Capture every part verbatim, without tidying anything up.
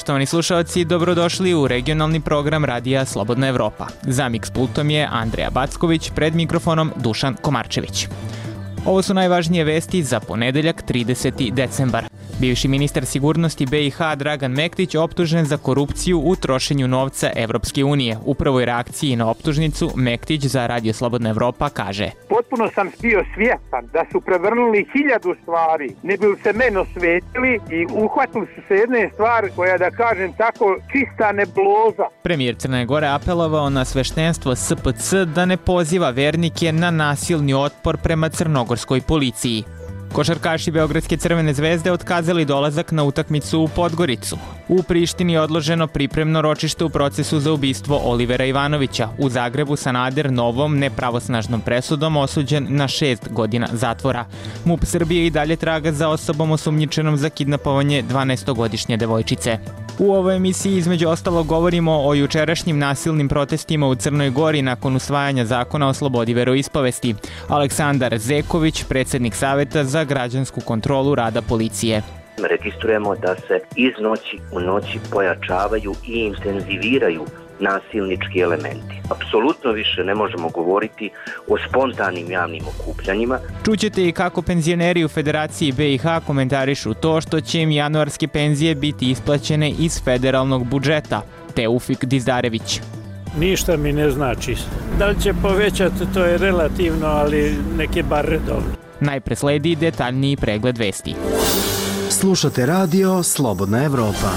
Poštovani slušalci, dobrodošli u regionalni program Radija Slobodna Evropa. Za miks pultom je Andreja Backović, pred mikrofonom Dušan Komarčević. Ovo su najvažnije vesti za ponedeljak trideseti decembar. Bivši ministar sigurnosti be i ha Dragan Mektić optužen za korupciju u trošenju novca Evropske unije. U prvoj reakciji na optužnicu Mektić za Radio Slobodna Evropa kaže: Potpuno sam bio svjestan da su prevrnuli hiljadu stvari, ne bi se meni osvetili i uhvatili su se jedne stvari koja, da kažem tako, čista nebloza. Premijer Crne Gore apelovao na sveštenstvo es pe ce da ne poziva vernike na nasilni otpor prema crnogorskoj policiji. Košarkaši Beogradske Crvene zvezde otkazali dolazak na utakmicu u Podgoricu. U Prištini je odloženo pripremno ročište u procesu za ubistvo Olivera Ivanovića. U Zagrebu Sanader novom nepravosnažnom presudom osuđen na šest godina zatvora. MUP Srbije i dalje traga za osobom osumnjičenom za kidnapovanje dvanaestogodišnje devojčice. U ovoj emisiji između ostalog govorimo o jučerašnjim nasilnim protestima u Crnoj Gori nakon usvajanja zakona o slobodi veroispovesti. Aleksandar Zeković, predsjednik Saveta za građansku kontrolu rada policije. Registrujemo da se iz noći u noći pojačavaju i intenziviraju nasilnički elementi. Apsolutno više ne možemo govoriti o spontanim javnim okupljanjima. Čućete i kako penzioneri u Federaciji be i ha komentarišu to što će im januarske penzije biti isplaćene iz federalnog budžeta. Teufik Dizdarević. Ništa mi ne znači. Da li će povećati, to je relativno, ali neke bar redovno. Najpre sledi detaljniji pregled vesti. Slušate radio Slobodna Evropa.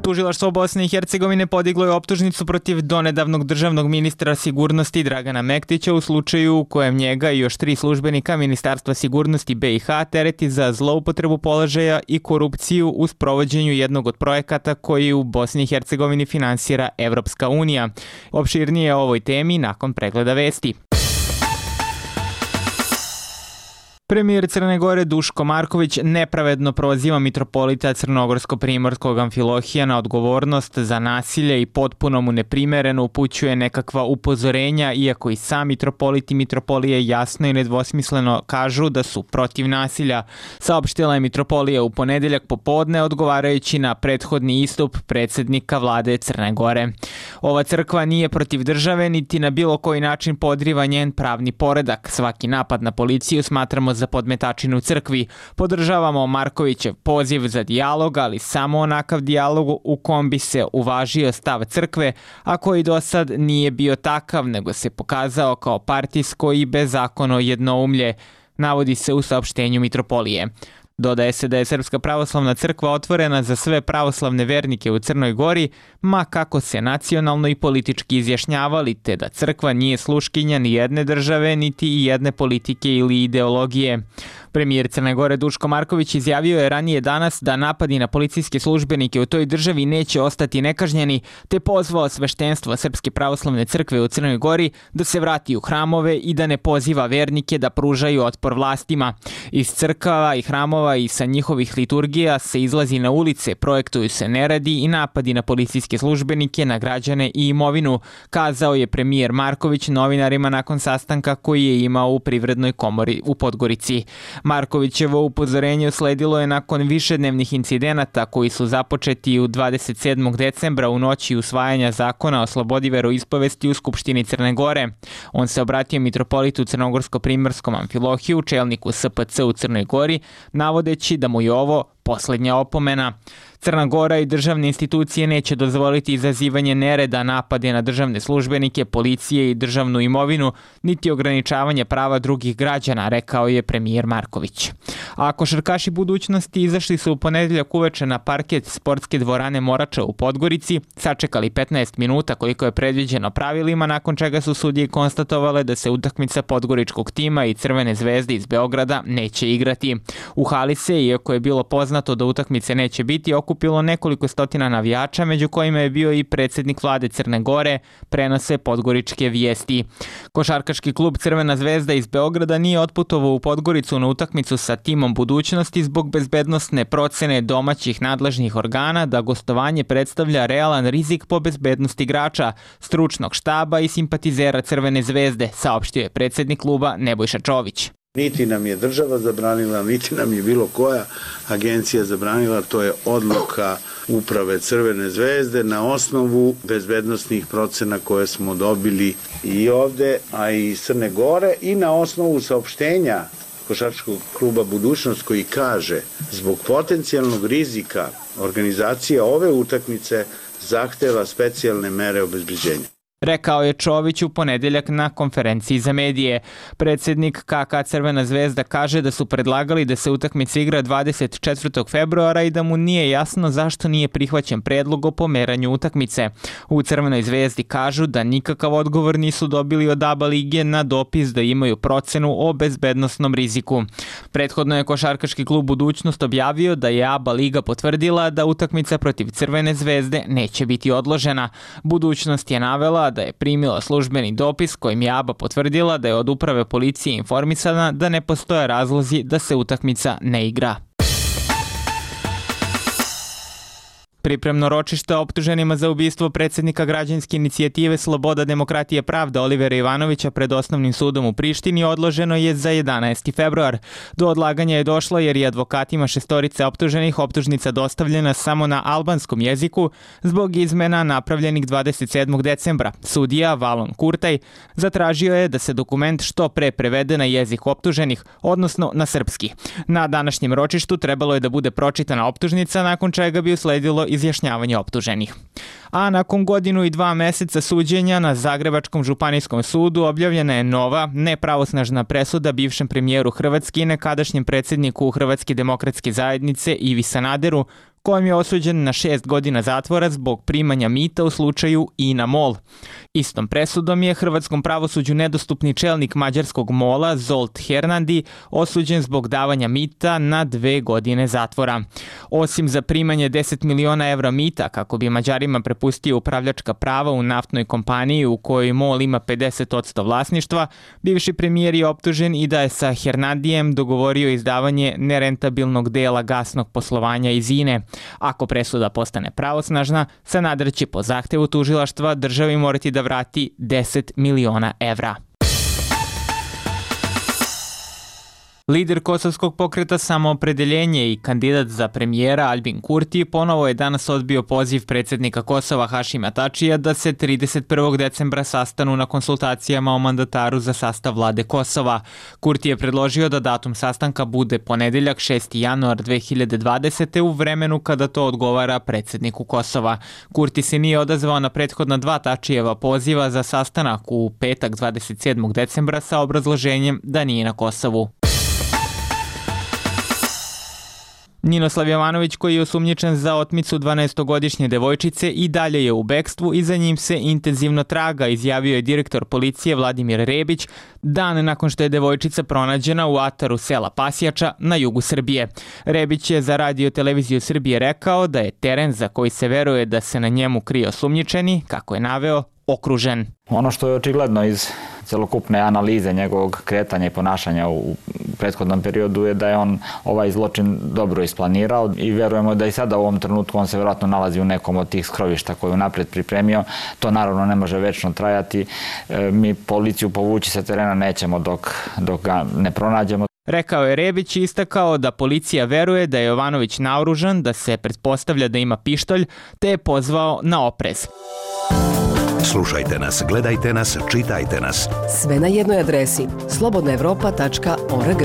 Tužilaštvo Bosne i Hercegovine podiglo je optužnicu protiv donedavnog državnog ministra sigurnosti Dragana Mektića u slučaju u kojem njega i još tri službenika Ministarstva sigurnosti be i ha tereti za zloupotrebu položaja i korupciju u sprovođenju jednog od projekata koji u Bosni i Hercegovini finansira Evropska unija. Opširnije o ovoj temi nakon pregleda vesti. Premijer Crne Gore Duško Marković nepravedno proziva mitropolita Crnogorsko-primorskog Amfilohija na odgovornost za nasilje i potpuno mu neprimereno upućuje nekakva upozorenja, iako i sam mitropolit i mitropolije jasno i nedvosmisleno kažu da su protiv nasilja. Saopštila je mitropolija u ponedeljak popodne odgovarajući na prethodni istup predsjednika vlade Crne Gore. Ova crkva nije protiv države niti na bilo koji način podriva njen pravni poredak. Svaki napad na policiju smatramo za podmetačinu crkvi. Podržavamo Markovićev poziv za dijalog, ali samo onakav dijalog u kom bi se uvažio stav crkve, a koji do sad nije bio takav, nego se pokazao kao partijsko i bezakonno jednoumlje, navodi se u saopštenju mitropolije. Dodaje se da je Srpska pravoslavna crkva otvorena za sve pravoslavne vernike u Crnoj Gori, ma kako se nacionalno i politički izjašnjavali, te da crkva nije sluškinja ni jedne države, niti i jedne politike ili ideologije. Premijer Crne Gore Duško Marković izjavio je ranije danas da napadi na policijske službenike u toj državi neće ostati nekažnjeni, te pozvao sveštenstvo Srpske pravoslavne crkve u Crnoj Gori da se vrati u hramove i da ne poziva vernike da pružaju otpor vlastima. Iz crkava i hramova i sa njihovih liturgija se izlazi na ulice, projektuju se neradi i napadi na policijske službenike, na građane i imovinu, kazao je premijer Marković novinarima nakon sastanka koji je imao u Privrednoj komori u Podgorici. Markovićevo upozorenje usledilo je nakon višednevnih incidenata koji su započeti u dvadeset sedmog decembra u noći usvajanja zakona o slobodi veroispovesti u Skupštini Crne Gore. On se obratio mitropolitu Crnogorsko-primorskom Amfilohiju, čelniku es pe ce u Crnoj Gori, navodeći da mu je ovo posljednja opomena. Crna Gora i državne institucije neće dozvoliti izazivanje nereda, napade na državne službenike, policije i državnu imovinu, niti ograničavanje prava drugih građana, rekao je premijer Marković. A košarkaši budućnosti izašli su u ponedeljak uveče na parket sportske dvorane Morača u Podgorici, sačekali petnaest minuta koliko je predviđeno pravilima, nakon čega su sudije konstatovale da se utakmica podgoričkog tima i Crvene zvezde iz Beograda neće igrati. U hali se, iako je bilo poznato da utakmice neće biti, okupilo nekoliko stotina navijača, među kojima je bio i predsjednik vlade Crne Gore, prenose podgoričke vijesti. Košarkaški klub Crvena zvezda iz Beograda nije otputovao u Podgoricu na utakmicu sa timom budućnosti zbog bezbednosne procene domaćih nadležnih organa da gostovanje predstavlja realan rizik po bezbednost igrača, stručnog štaba i simpatizera Crvene zvezde, saopštio je predsjednik kluba Nebojša Čović. Niti nam je država zabranila, niti nam je bilo koja agencija zabranila, to je odluka uprave Crvene zvezde na osnovu bezbednosnih procena koje smo dobili i ovde, a i iz Crne Gore, i na osnovu saopštenja Košarkaškog kluba Budućnost koji kaže zbog potencijalnog rizika organizacija ove utakmice zahteva specijalne mere obezbeđenja. Rekao je Čović u ponedeljak na konferenciji za medije. Predsjednik K K Crvena zvezda kaže da su predlagali da se utakmica igra dvadeset četvrtog februara i da mu nije jasno zašto nije prihvaćen predlog o pomeranju utakmice. U Crvenoj zvezdi kažu da nikakav odgovor nisu dobili od A B A lige na dopis da imaju procenu o bezbednosnom riziku. Prethodno je Košarkaški klub Budućnost objavio da je A B A liga potvrdila da utakmica protiv Crvene zvezde neće biti odložena. Budućnost je navela da je primila službeni dopis kojim je A B A potvrdila da je od uprave policije informisana da ne postoje razlozi da se utakmica ne igra. Pripremno ročište optuženima za ubistvo predsjednika građanske inicijative Sloboda, demokratija, pravda Olivera Ivanovića pred osnovnim sudom u Prištini odloženo je za jedanaesti februar. Do odlaganja je došlo jer je advokatima šestorice optuženih optužnica dostavljena samo na albanskom jeziku zbog izmena napravljenih dvadeset sedmog decembra. Sudija Valon Kurtaj zatražio je da se dokument što pre prevede na jezik optuženih, odnosno na srpski. Na današnjem ročištu trebalo je da bude pročitana optužnica, nakon čega bi usledilo izjašnjavanje optuženih. A nakon godinu i dva meseca suđenja na Zagrebačkom županijskom sudu objavljena je nova, nepravosnažna presuda bivšem premijeru Hrvatske i nekadašnjem predsjedniku Hrvatske demokratske zajednice Ivi Sanaderu, kojim je osuđen na šest godina zatvora zbog primanja mita u slučaju INA MOL. Istom presudom je hrvatskom pravosuđu nedostupni čelnik mađarskog MOL-a Zsolt Hernandi osuđen zbog davanja mita na dve godine zatvora. Osim za primanje deset miliona evra mita kako bi Mađarima prepustio upravljačka prava u naftnoj kompaniji u kojoj MOL ima pedeset posto vlasništva, bivši premijer je optužen i da je sa Hernandijem dogovorio izdavanje nerentabilnog dela gasnog poslovanja iz INE. Ako presuda postane pravosnažna, Sanader će po zahtevu tužilaštva državi morati da vrati deset miliona evra. Lider kosovskog pokreta Samoopredeljenje i kandidat za premijera Albin Kurti ponovo je danas odbio poziv predsjednika Kosova Hašima Tačija da se trideset prvog decembra sastanu na konsultacijama o mandataru za sastav vlade Kosova. Kurti je predložio da datum sastanka bude ponedeljak šesti januar dve hiljade dvadesete. u vremenu kada to odgovara predsjedniku Kosova. Kurti se nije odazvao na prethodna dva Tačijeva poziva za sastanak u petak dvadeset sedmog decembra sa obrazloženjem da nije na Kosovu. Ninoslav Jovanović, koji je osumnjičen za otmicu dvanaestogodišnje devojčice, i dalje je u bekstvu i za njim se intenzivno traga, izjavio je direktor policije Vladimir Rebić dan nakon što je devojčica pronađena u ataru sela Pasjača na jugu Srbije. Rebić je za Radio televiziju Srbije rekao da je teren za koji se veruje da se na njemu krije osumnjičeni, kako je naveo, okružen. Ono što je očigledno iz celokupne analize njegovog kretanja i ponašanja u prethodnom periodu je da je on ovaj zločin dobro isplanirao i verujemo da i sada u ovom trenutku on se vjerojatno nalazi u nekom od tih skrovišta koje je napred pripremio. To naravno ne može večno trajati. Mi policiju povući sa terena nećemo dok, dok ga ne pronađemo. Rekao je Rebić i istakao da policija veruje da je Jovanović naoružan, da se pretpostavlja da ima pištolj, te je pozvao na oprez. Slušajte nas, gledajte nas, čitajte nas. Sve na jednoj adresi slobodna evropa tačka org.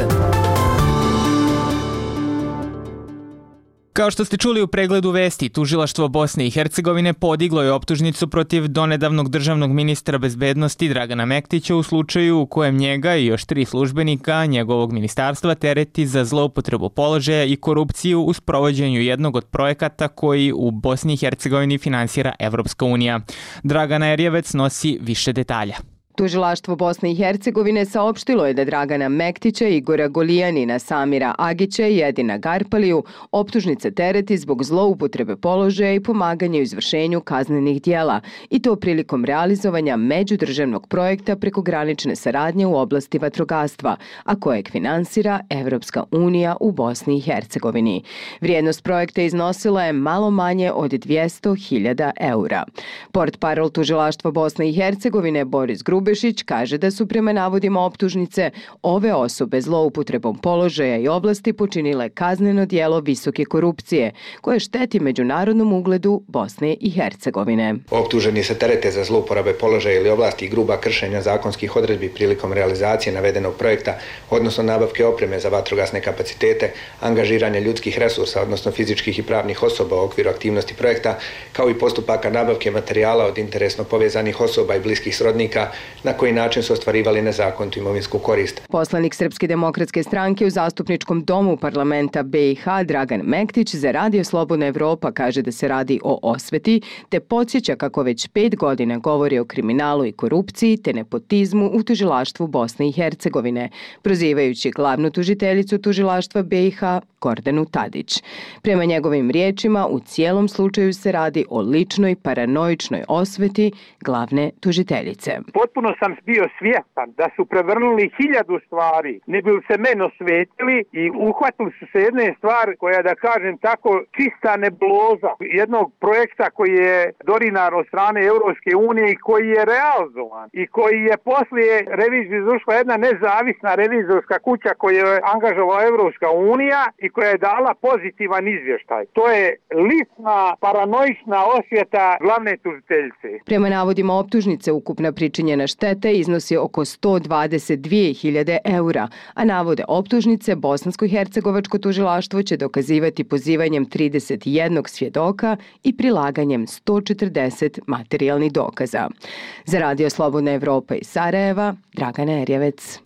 Kao što ste čuli u pregledu vesti, tužilaštvo Bosne i Hercegovine podiglo je optužnicu protiv donedavnog državnog ministra bezbednosti Dragana Mektića u slučaju u kojem njega i još tri službenika njegovog ministarstva tereti za zloupotrebu položaja i korupciju u sprovođenju jednog od projekata koji u Bosni i Hercegovini finansira Evropska unija. Dragana Erjevec nosi više detalja. Tužilaštvo Bosne i Hercegovine saopštilo je da Dragana Mektića, Igora Golijanina, Samira Agića i Edina Garpaliju optužnice tereti zbog zloupotrebe položaja i pomaganja u izvršenju kaznenih dijela, i to prilikom realizovanja međudržavnog projekta prekogranične saradnje u oblasti vatrogastva, a kojeg finansira Evropska unija u Bosni i Hercegovini. Vrijednost projekta iznosila je malo manje od dvjesto hiljada eura. Portparol Tužilaštva Bosne i Hercegovine Boris Grubić Ljubešić kaže da su prema navodima optužnice ove osobe zloupotrebom položaja i oblasti počinile kazneno djelo visoke korupcije, koje šteti međunarodnom ugledu Bosne i Hercegovine. Optuženi se terete za zlouporabe položaja ili oblasti i gruba kršenja zakonskih odredbi prilikom realizacije navedenog projekta, odnosno nabavke opreme za vatrogasne kapacitete, angažiranje ljudskih resursa, odnosno fizičkih i pravnih osoba u okviru aktivnosti projekta, kao i postupaka nabavke materijala od interesno povezanih osoba i bliskih srodnika, na koji način su ostvarivali nezakonitu imovinsku korist. Poslanik Srpske demokratske stranke u Zastupničkom domu parlamenta be i ha Dragan Mektić za Radio Slobodna Evropa kaže da se radi o osveti, te podsjeća kako već pet godina govori o kriminalu i korupciji te nepotizmu u tužilaštvu Bosne i Hercegovine, prozivajući glavnu tužiteljicu tužilaštva be i ha Gordanu Tadić. Prema njegovim riječima, u cijelom slučaju se radi o ličnoj paranoičnoj osveti glavne tužiteljice. Potpuno sam bio svjestan da su prevrnuli hiljadu stvari, ne bi se meni osvetili i uhvatili su se jedne stvari koja, da kažem tako, čista nebuloza jednog projekta koji je dorinar od strane Europske unije i koji je realizovan i koji je poslije revizije izvršila jedna nezavisna revizorska kuća koju je angažovala Europska unija i koja je dala pozitivan izvještaj. To je lična paranoična osveta glavne tužiteljice. Prema navodima optužnice, ukupna pričinjena šteta iznosi oko sto dvadeset dvije hiljade eura, a navode optužnice Bosansko-hercegovačko tužilaštvo će dokazivati pozivanjem trideset jedan svjedoka i prilaganjem sto četrdeset materijalnih dokaza. Za Radio Slobodna Evropa iz Sarajeva, Dragana Erjevec.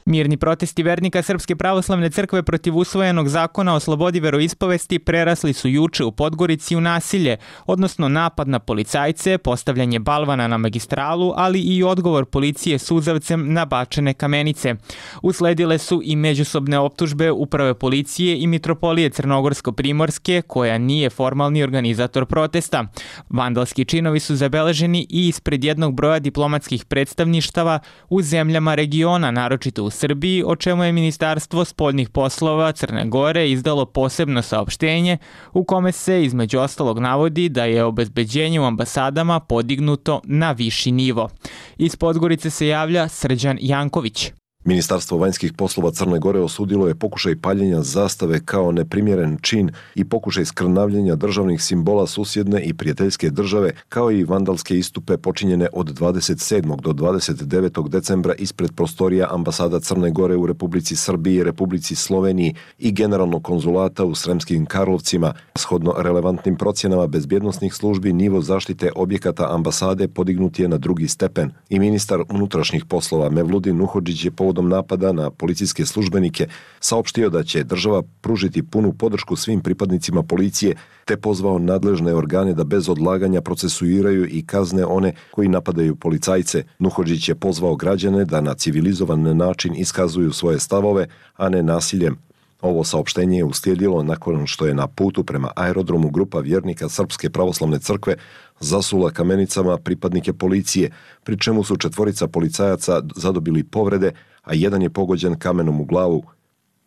Mirni protesti vernika Srpske pravoslavne crkve protiv usvojenog zakona o slobodi veroispovesti prerasli su juče u Podgorici u nasilje, odnosno napad na policajce, postavljanje balvana na magistralu, ali i odgovor policije suzavcem na bačene kamenice. Usledile su i međusobne optužbe Uprave policije i Mitropolije Crnogorsko-Primorske, koja nije formalni organizator protesta. Vandalski činovi su zabeleženi i ispred jednog broja diplomatskih predstavništava u zemljama regiona, naročito u Srbiji, o čemu je Ministarstvo spoljnih poslova Crne Gore izdalo posebno saopštenje u kome se između ostalog navodi da je obezbeđenje u ambasadama podignuto na viši nivo. Iz Podgorice se javlja Srđan Janković. Ministarstvo vanjskih poslova Crne Gore osudilo je pokušaj paljenja zastave kao neprimjeren čin i pokušaj skrnavljenja državnih simbola susjedne i prijateljske države, kao i vandalske istupe počinjene od dvadeset sedmog do dvadeset devetog decembra ispred prostorija ambasada Crne Gore u Republici Srbiji, Republici Sloveniji i generalnog konzulata u Sremskim Karlovcima. Shodno relevantnim procjenama bezbjednosnih službi, nivo zaštite objekata ambasade podignut je na drugi stepen i ministar unutrašnjih poslova Mevludin Nuhodžić je povodom napada na policijske službenike saopštio da će država pružiti punu podršku svim pripadnicima policije, te pozvao nadležne organe da bez odlaganja procesuiraju i kazne one koji napadaju policajce. Nuhodžić je pozvao građane da na civilizovan način iskazuju svoje stavove, a ne nasiljem. Ovo saopštenje je uslijedilo nakon što je na putu prema aerodromu grupa vjernika Srpske pravoslavne crkve zasula kamenicama pripadnike policije, pri čemu su četvorica policajaca zadobili povrede, a jedan je pogođen kamenom u glavu.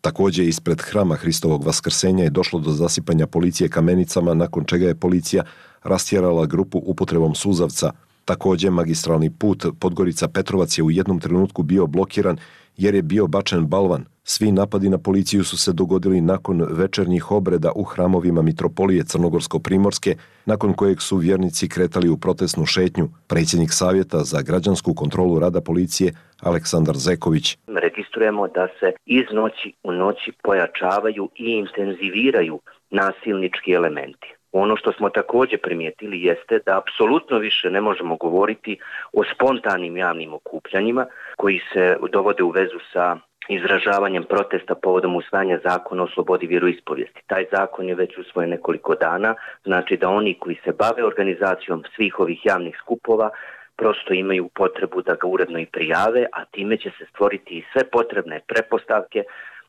Također ispred hrama Hristovog vaskrsenja je došlo do zasipanja policije kamenicama, nakon čega je policija rastjerala grupu upotrebom suzavca. Također magistralni put Podgorica-Petrovac je u jednom trenutku bio blokiran jer je bio bačen balvan. Svi napadi na policiju su se dogodili nakon večernjih obreda u hramovima Mitropolije Crnogorsko-Primorske, nakon kojeg su vjernici kretali u protestnu šetnju. Predsjednik Savjeta za građansku kontrolu rada policije Aleksandar Zeković. Registrujemo da se iz noći u noći pojačavaju i intenziviraju nasilnički elementi. Ono što smo također primijetili jeste da apsolutno više ne možemo govoriti o spontanim javnim okupljanjima koji se dovode u vezu sa izražavanjem protesta povodom usvajanja zakona o slobodi vjeroispovijesti. Taj zakon je već usvojen nekoliko dana, znači da oni koji se bave organizacijom svih ovih javnih skupova prosto imaju potrebu da ga uredno i prijave, a time će se stvoriti i sve potrebne pretpostavke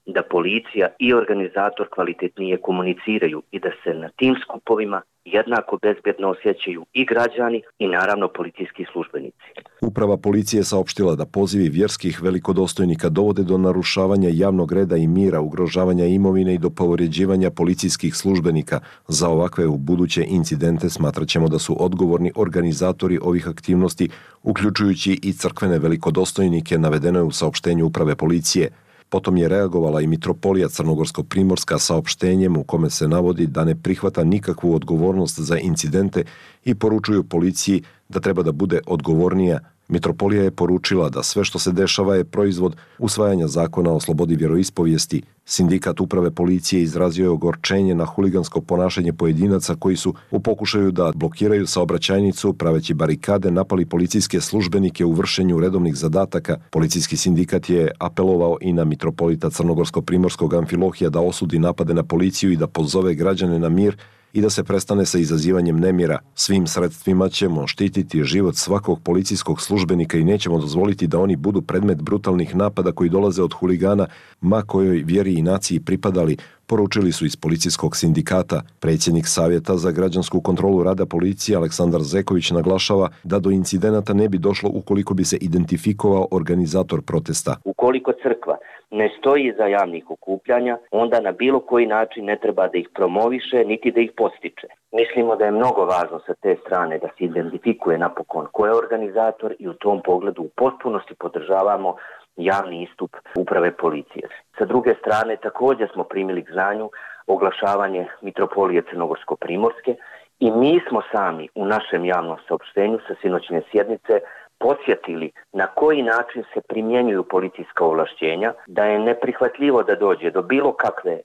da policija i organizator kvalitetnije komuniciraju i da se na tim skupovima jednako bezbjedno osjećaju i građani i naravno policijski službenici. Uprava policije saopštila da pozivi vjerskih velikodostojnika dovode do narušavanja javnog reda i mira, ugrožavanja imovine i do povređivanja policijskih službenika. Za ovakve u buduće incidente smatraćemo da su odgovorni organizatori ovih aktivnosti, uključujući i crkvene velikodostojnike, navedeno je u saopštenju uprave policije. Potom je reagovala i mitropolija Crnogorsko-Primorska saopštenjem u kome se navodi da ne prihvata nikakvu odgovornost za incidente i poručuju policiji da treba da bude odgovornija. Mitropolija je poručila da sve što se dešava je proizvod usvajanja zakona o slobodi vjeroispovijesti. Sindikat uprave policije izrazio je ogorčenje na huligansko ponašanje pojedinaca koji su u pokušaju da blokiraju saobraćajnicu praveći barikade napali policijske službenike u vršenju redovnih zadataka. Policijski sindikat je apelovao i na mitropolita Crnogorsko-Primorskog Amfilohija da osudi napade na policiju i da pozove građane na mir i da se prestane sa izazivanjem nemira. Svim sredstvima ćemo štititi život svakog policijskog službenika i nećemo dozvoliti da oni budu predmet brutalnih napada koji dolaze od huligana, ma kojoj vjeri i naciji pripadali, poručili su iz policijskog sindikata. Predsjednik Savjeta za građansku kontrolu rada policije Aleksandar Zeković naglašava da do incidenata ne bi došlo ukoliko bi se identifikovao organizator protesta. Ukoliko crkva ne stoji iza javnih okupljanja, onda na bilo koji način ne treba da ih promoviše, niti da ih postiče. Mislimo da je mnogo važno sa te strane da se identifikuje napokon ko je organizator i u tom pogledu u potpunosti podržavamo javni istup uprave policije. Sa druge strane, također smo primili k znanju oglašavanje mitropolije Crnogorsko-Primorske i mi smo sami u našem javnom saopštenju sa sinoćne sjednice podsjetili na koji način se primjenjuju policijska ovlašćenja, da je neprihvatljivo da dođe do bilo kakve,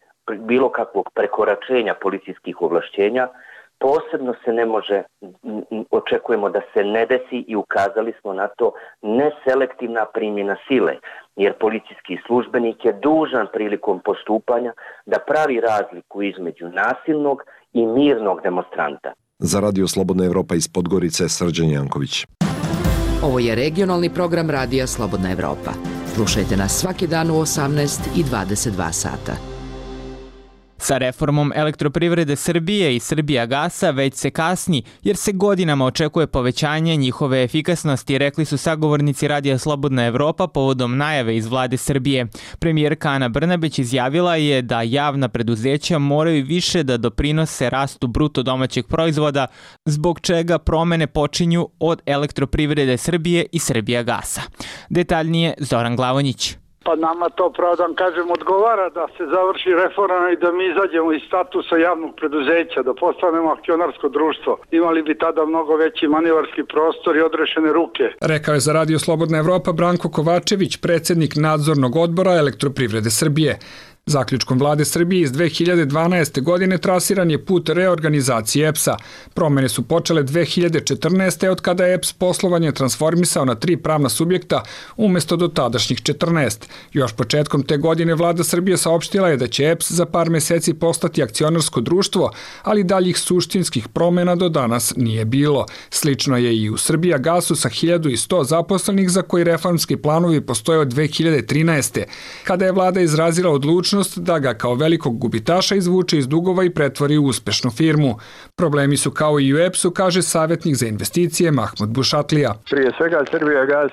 bilo kakvog prekoračenja policijskih ovlašćenja. Posebno se ne može, očekujemo da se ne desi i ukazali smo na to neselektivna primjena sile, jer policijski službenik je dužan prilikom postupanja da pravi razliku između nasilnog i mirnog demonstranta. Za Radio Slobodna Evropa iz Podgorice, Srđan Janković. Ovo je regionalni program Radija Slobodna Evropa. Slušajte nas svaki dan u osamnaest i dvadeset dva sata. Sa reformom Elektroprivrede Srbije i Srbijagasa već se kasni, jer se godinama očekuje povećanje njihove efikasnosti, rekli su sagovornici Radija Slobodna Evropa povodom najave iz vlade Srbije. Premijerka Ana Brnabić izjavila je da javna preduzeća moraju više da doprinose rastu bruto domaćeg proizvoda, zbog čega promene počinju od Elektroprivrede Srbije i Srbijagasa. Detaljnije Zoran Glavonjić. Pa nama to, pravo da vam kažem, odgovara da se završi reforma i da mi izađemo iz statusa javnog preduzeća, da postanemo akcionarsko društvo. Imali bi tada mnogo veći manevarski prostor i odrešene ruke. Rekao je za Radio Slobodna Evropa Branko Kovačević, predsjednik nadzornog odbora Elektroprivrede Srbije. Zaključkom vlade Srbije iz dve hiljade dvanaeste. godine trasiran je put reorganizacije E P S-a. Promene su počele dve hiljade četrnaeste. od kada je E P S poslovanje transformisao na tri pravna subjekta umjesto do tadašnjih četrnaest. Još početkom te godine vlada Srbije saopštila je da će E P S za par mjeseci postati akcionarsko društvo, ali daljih suštinskih promjena do danas nije bilo. Slično je i u Srbijagasu sa hiljadu sto zaposlenih za koji reformski planovi postoje od dve hiljade trinaeste. kada je vlada izrazila odlučnost da ga kao velikog gubitaša izvuče iz dugova i pretvori u uspešnu firmu. Problemi su kao i u E P S-u, kaže savjetnik za investicije Mahmud Bušatlija. Prije svega Srbijagas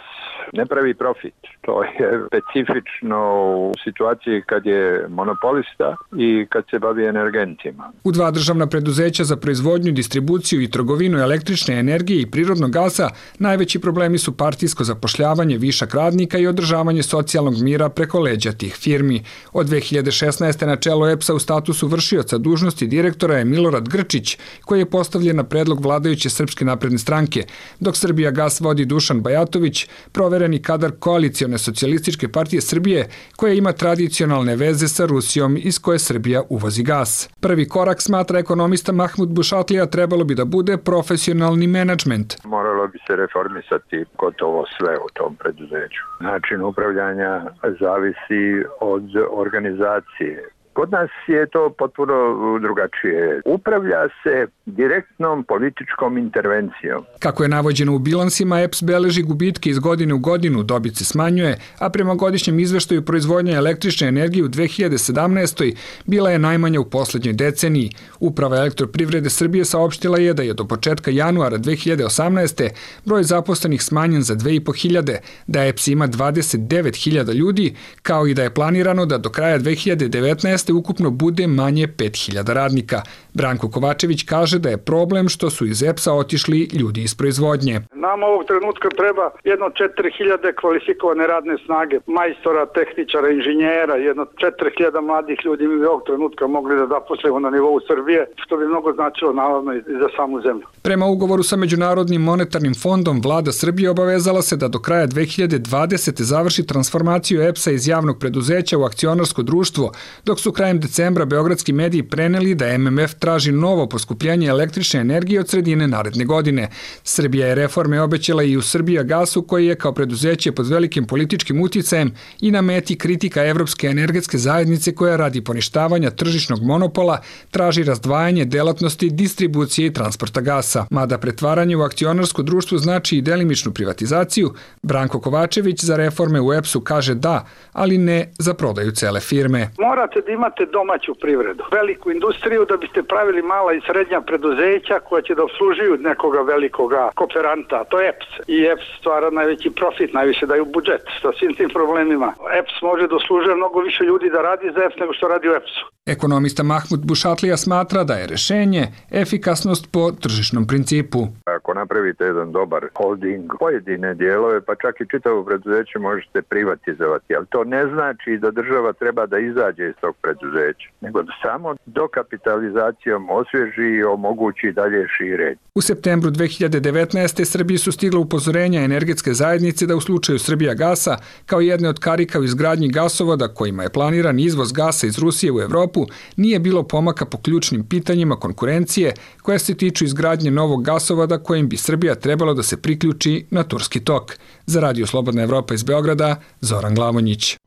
ne pravi profit. To je specifično u situaciji kad je monopolista i kad se bavi energentima. U dva državna preduzeća za proizvodnju, distribuciju i trgovinu električne energije i prirodnog gasa najveći problemi su partijsko zapošljavanje, višak radnika i održavanje socijalnog mira preko leđa tih firmi. Od dve hiljade šesnaeste. na čelo E P S-a u statusu vršioca dužnosti direktora je Milorad Grčić, koji je postavljen na predlog vladajuće Srpske napredne stranke, dok Srbijagas vodi Dušan Bajatović, provereni kadar koalicione socijalističke partije Srbije, koja ima tradicionalne veze sa Rusijom iz koje Srbija uvozi gas. Prvi korak, smatra ekonomista Mahmud Bušatlija, trebalo bi da bude profesionalni menadžment. Moralo bi se reformisati gotovo sve u tom preduzeću. Način upravljanja zavisi od organizacije. Kod nas je to potpuno drugačije. Upravlja se direktnom političkom intervencijom. Kako je navođeno u bilansima, E P S beleži gubitke iz godine u godinu, dobit se smanjuje, a prema godišnjem izveštaju proizvodnja električne energije u dve hiljade sedamnaestoj bila je najmanja u poslednjoj deceniji. Uprava Elektroprivrede Srbije saopštila je da je do početka januara dve hiljade osamnaeste. broj zaposlenih smanjen za dve i po hiljade, da E P S ima dvadeset devet hiljada ljudi, kao i da je planirano da do kraja dve hiljade devetnaeste. ukupno bude manje pet hiljada radnika. Branko Kovačević kaže da je problem što su iz E P S-a otišli ljudi iz proizvodnje. Nam ovog trenutka treba jedno četiri hiljade kvalifikovane radne snage, majstora, tehničara, inženjera, jedno četiri hiljade mladih ljudi mi bi ovog trenutka mogli da zaposlimo na nivou Srbije, što bi mnogo značilo naravno i za samu zemlju. Prema ugovoru sa Međunarodnim monetarnim fondom, vlada Srbije obavezala se da do kraja dve hiljade dvadesete. završi transformaciju E P S-a iz javnog preduzeća u akcionarsko društvo, dok su krajem decembra beogradski mediji preneli da M M F traži novo poskupljenje električne energije od sredine naredne godine. Srbija je reforme obećala i u Srbijagasu, koji je kao preduzeće pod velikim političkim uticajem i na meti kritika Evropske energetske zajednice koja radi poništavanja tržišnog monopola traži razdvajanje delatnosti distribucije i transporta gasa. Mada pretvaranje u akcionarsko društvo znači i delimičnu privatizaciju, Branko Kovačević za reforme u E P S-u kaže da, ali ne za prodaju cele firme. Morate da imate domaću privredu, veliku industriju da biste pravili mala i srednja preduzeća koja će da obslužuju nekoga velikoga kooperanta, to je E P S. I E P S stvara najveći profit, najviše daju budžet sa svim tim problemima. E P S može da služe mnogo više ljudi da radi za E P S nego što radi u E P S-u. Ekonomista Mahmud Bušatlija smatra da je rešenje efikasnost po tržišnom principu. Ako napravite jedan dobar holding, pojedine dijelove, pa čak i čitavo preduzeće možete privatizovati, ali to ne znači da država treba da izađe iz tog preduzeća, nego da samo dokapitalizacijom osvježi i omogući dalje širenje. U septembru dve hiljade devetnaeste. Srbiji su stigla upozorenja energetske zajednice da u slučaju Srbijagasa, kao jedne od karika u izgradnji gasovoda kojima je planiran izvoz gasa iz Rusije u Evropu, nije bilo pomaka po ključnim pitanjima konkurencije koja se tiču izgradnje novog gasovoda kojim bi Srbija trebalo da se priključi na Turski tok. Za Radio Slobodna Evropa iz Beograda, Zoran Glavonjić.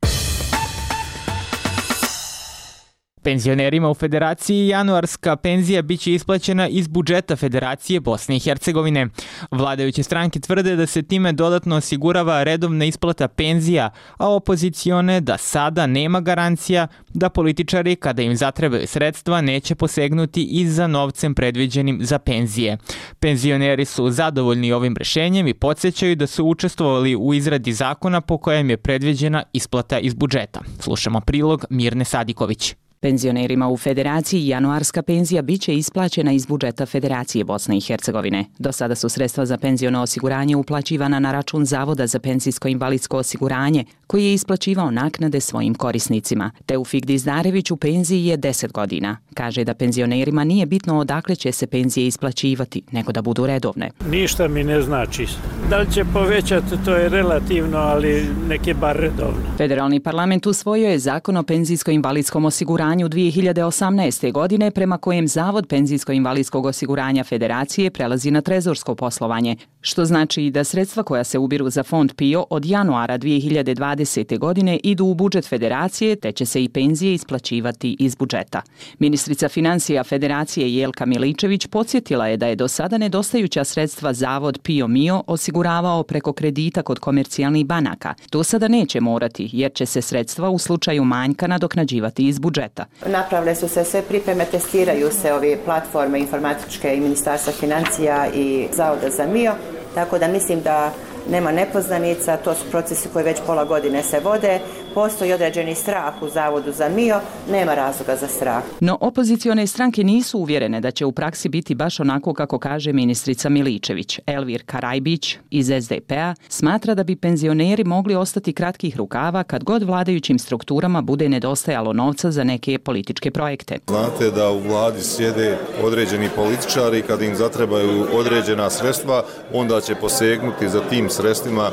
Penzionerima u Federaciji januarska penzija biće isplaćena iz budžeta Federacije Bosne i Hercegovine. Vladajuće stranke tvrde da se time dodatno osigurava redovna isplata penzija, a opozicione da sada nema garancija da političari, kada im zatrebaju sredstva, neće posegnuti i za novcem predviđenim za penzije. Penzioneri su zadovoljni ovim rešenjem i podsjećaju da su učestvovali u izradi zakona po kojem je predviđena isplata iz budžeta. Slušamo prilog Mirne Sadiković. Penzionerima u Federaciji januarska penzija biće isplaćena iz budžeta Federacije Bosne i Hercegovine. Do sada su sredstva za penziono osiguranje uplaćivana na račun Zavoda za penzijsko-invalidsko osiguranje, koji je isplaćivao naknade svojim korisnicima. Teufik Dizdarević u penziji je deset godina. Kaže da penzionerima nije bitno odakle će se penzije isplaćivati, nego da budu redovne. Ništa mi ne znači. Da li će povećati, to je relativno, ali neke bar redovno. Federalni parlament usvojio je zakon o penzijsko-invalidskom osiguranju u dve hiljade osamnaeste. godine, prema kojem Zavod penzijsko-invalidskog osiguranja Federacije prelazi na trezorsko poslovanje, što znači da sredstva koja se ubiru za fond P I O od januara dve hiljade dvadesete. godine idu u budžet Federacije, te će se i penzije isplaćivati iz budžeta. Ministrica financija Federacije Jelka Miličević podsjetila je da je do sada nedostajuća sredstva Zavod P I O M I O osiguravao preko kredita kod komercijalnih banaka. To sada neće morati, jer će se sredstva u slučaju manjka nadoknađivati iz budžeta. Napravile su se sve pripreme, testiraju se ove platforme informatičke i Ministarstva financija i Zavoda za M I O, tako da mislim da nema nepoznanica, to su procesi koji već pola godine se vode, postoji određeni strah u Zavodu za M I O, nema razloga za strah. No opozicione stranke nisu uvjerene da će u praksi biti baš onako kako kaže ministrica Miličević. Elvir Karajbić iz S D P-a smatra da bi penzioneri mogli ostati kratkih rukava kad god vladajućim strukturama bude nedostajalo novca za neke političke projekte. Znate da u vladi sjede određeni političari, kad im zatrebaju određena sredstva, onda će posegnuti za tim sredstvima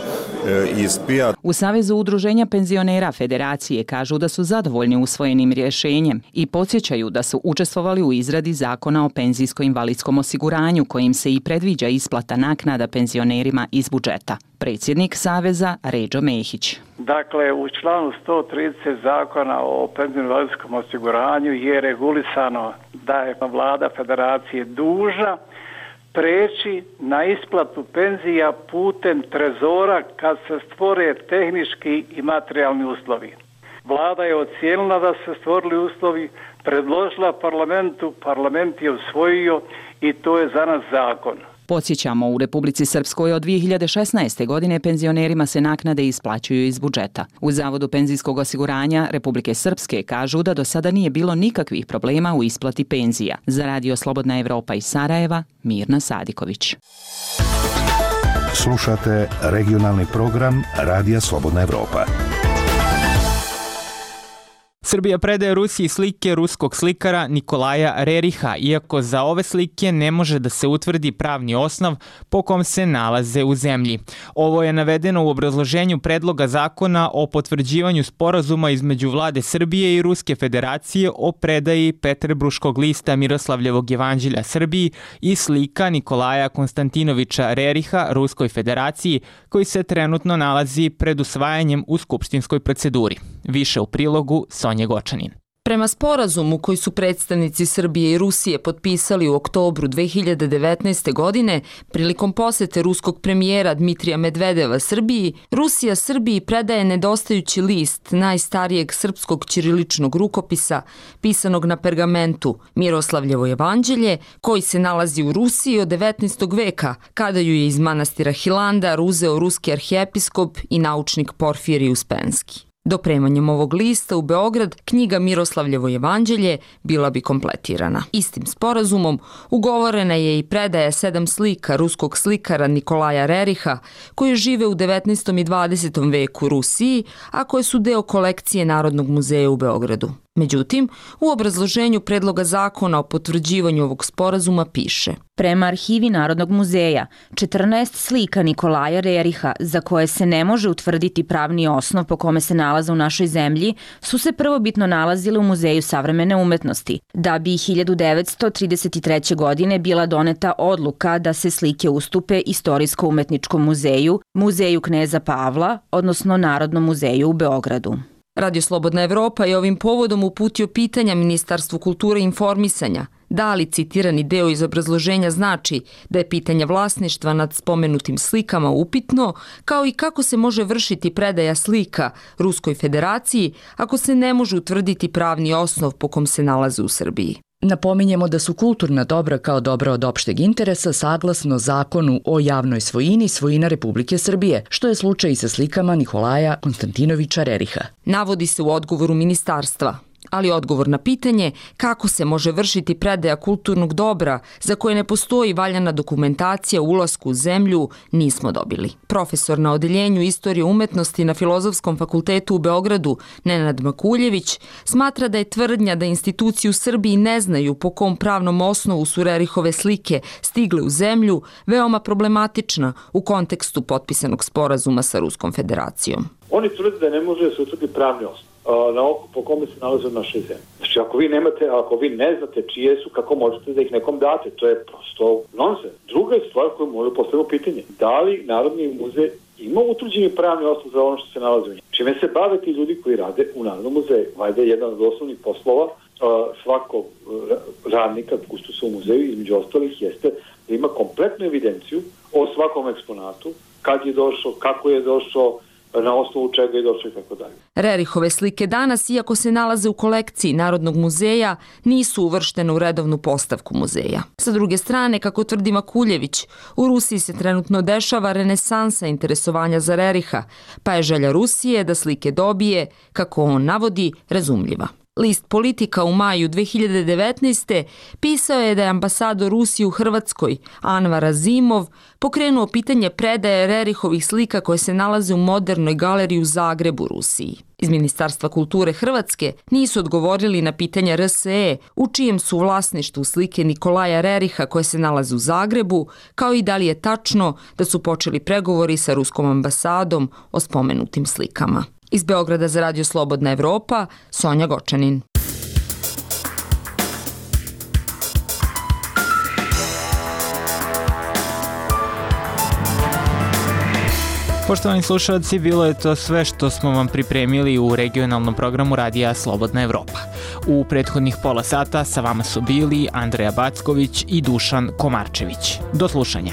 iz P I A. U Savezu udruženja penzionera Federacije kažu da su zadovoljni usvojenim rješenjem i podsjećaju da su učestvovali u izradi zakona o penzijsko-invalidskom osiguranju kojim se i predviđa isplata naknada penzionerima iz budžeta. Predsjednik Saveza Ređo Mehić. Dakle, u članu sto trideset Zakona o penzijskom i invalidskom osiguranju je regulisano da je vlada federacije dužna preći na isplatu penzija putem trezora kad se stvore tehnički i materijalni uslovi. Vlada je ocijenila da se stvorili uslovi, predložila parlamentu, parlament je usvojio i to je za nas zakon. Podsjećamo, u Republici Srpskoj od dvije hiljade šesnaeste. godine penzionerima se naknade isplaćuju iz budžeta. U Zavodu penzijskog osiguranja Republike Srpske kažu da do sada nije bilo nikakvih problema u isplati penzija. Za Radio Slobodna Evropa iz Sarajeva, Mirna Sadiković. Slušate regionalni program Radija Slobodna Evropa. Srbija predaje Rusiji slike ruskog slikara Nikolaja Reriha, iako za ove slike ne može da se utvrdi pravni osnov po kom se nalaze u zemlji. Ovo je navedeno u obrazloženju predloga zakona o potvrđivanju sporazuma između vlade Srbije i Ruske federacije o predaji Peterbruškog lista Miroslavljevog jevanđelja Srbiji i slika Nikolaja Konstantinovića Reriha Ruskoj federaciji, koji se trenutno nalazi pred usvajanjem u skupštinskoj proceduri. Više u prilogu Sonje Gočanin. Prema sporazumu koji su predstavnici Srbije i Rusije potpisali u oktobru dve hiljade devetnaeste. godine, prilikom posete ruskog premijera Dmitrija Medvedeva Srbiji, Rusija Srbiji predaje nedostajući list najstarijeg srpskog ćiriličnog rukopisa, pisanog na pergamentu Miroslavljevo jevanđelje, koji se nalazi u Rusiji od devetnaestog. veka, kada ju je iz manastira Hilandar uzeo ruski arhijepiskop i naučnik Porfirij Uspenski. Dopremanjem ovog lista u Beograd, knjiga Miroslavljevo jevanđelje bila bi kompletirana. Istim sporazumom ugovorena je i predaja sedam slika ruskog slikara Nikolaja Reriha, koji žive u devetnaestom. i dvadesetom. veku u Rusiji, a koje su deo kolekcije Narodnog muzeja u Beogradu. Međutim, u obrazloženju predloga zakona o potvrđivanju ovog sporazuma piše: prema arhivi Narodnog muzeja, četrnaest slika Nikolaja Reriha, za koje se ne može utvrditi pravni osnov po kome se nalaze u našoj zemlji, su se prvobitno nalazile u Muzeju savremene umetnosti, da bi hiljadu devetsto trideset treće. godine bila doneta odluka da se slike ustupe Istorijsko-umetničkom muzeju, Muzeju kneza Pavla, odnosno Narodnom muzeju u Beogradu. Radio Slobodna Evropa je ovim povodom uputio pitanja Ministarstvu kulture i informisanja da li citirani deo iz obrazloženja znači da je pitanje vlasništva nad spomenutim slikama upitno, kao i kako se može vršiti predaja slika Ruskoj federaciji ako se ne može utvrditi pravni osnov po kom se nalaze u Srbiji. Napominjemo da su kulturna dobra kao dobra od opšteg interesa saglasno Zakonu o javnoj svojini svojina Republike Srbije, što je slučaj i sa slikama Nikolaja Konstantinovića Reriha. Navodi se u odgovoru ministarstva, ali odgovor na pitanje kako se može vršiti predaja kulturnog dobra za koje ne postoji valjana dokumentacija o ulasku u zemlju nismo dobili. Profesor na odeljenju istorije umetnosti na Filozofskom fakultetu u Beogradu, Nenad Makuljević, smatra da je tvrdnja da institucije u Srbiji ne znaju po kom pravnom osnovu su Rerihove slike stigle u zemlju veoma problematična u kontekstu potpisanog sporazuma sa Ruskom federacijom. Oni tvrde da ne može da se utvrdi pravni osnov na oko po kome se nalaze u našoj zemlji. Znači, ako vi nemate, ako vi ne znate čije su, kako možete da ih nekom date? To je prosto nonsens. Druga je stvar koju možemo postaviti pitanje. Da li Narodni muzej ima utvrđeni pravni osnov za ono što se nalazi u njemu? Čime se bave ti ljudi koji rade u Narodnom muzeju? Valjda je jedan od osnovnih poslova svakog radnika, kustosa u muzeju, između ostalih, jeste da ima kompletnu evidenciju o svakom eksponatu, kad je došao, kako je došao, na osnovu čega je došlo i tako dalje. Rerihove slike danas, iako se nalaze u kolekciji Narodnog muzeja, nisu uvrštene u redovnu postavku muzeja. Sa druge strane, kako tvrdi Makuljević, u Rusiji se trenutno dešava renesansa interesovanja za Reriha, pa je želja Rusije da slike dobije, kako on navodi, razumljiva. List Politika u maju dve hiljade devetnaeste. pisao je da je ambasador Rusije u Hrvatskoj, Anvar Azimov, pokrenuo pitanje predaje Rerihovih slika koje se nalaze u Modernoj galeriji u Zagrebu, Rusiji. Iz Ministarstva kulture Hrvatske nisu odgovorili na pitanja R S E u čijem su vlasništvu slike Nikolaja Reriha koje se nalaze u Zagrebu, kao i da li je tačno da su počeli pregovori sa ruskom ambasadom o spomenutim slikama. Iz Beograda za Radio Slobodna Evropa, Sonja Gočanin. Poštovani slušalci, bilo je to sve što smo vam pripremili u regionalnom programu Radija Slobodna Evropa. U prethodnih pola sata sa vama su bili Andreja Backović i Dušan Komarčević. Do slušanja.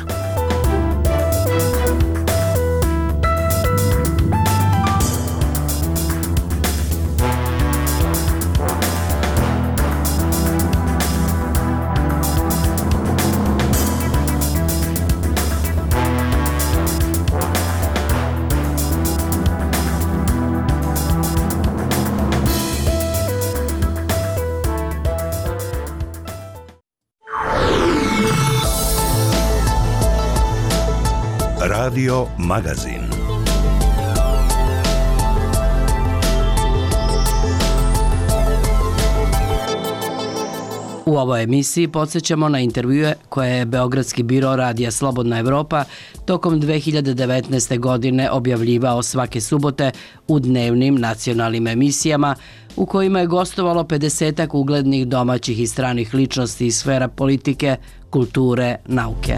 Radio Magazin. U ovoj emisiji podsjećamo na intervjue koje je Beogradski biro Radija Slobodna Evropa tokom dve hiljade devetnaeste. godine objavljivao svake subote u dnevnim nacionalnim emisijama u kojima je gostovalo pedesetak uglednih domaćih i stranih ličnosti iz sfera politike, kulture, nauke.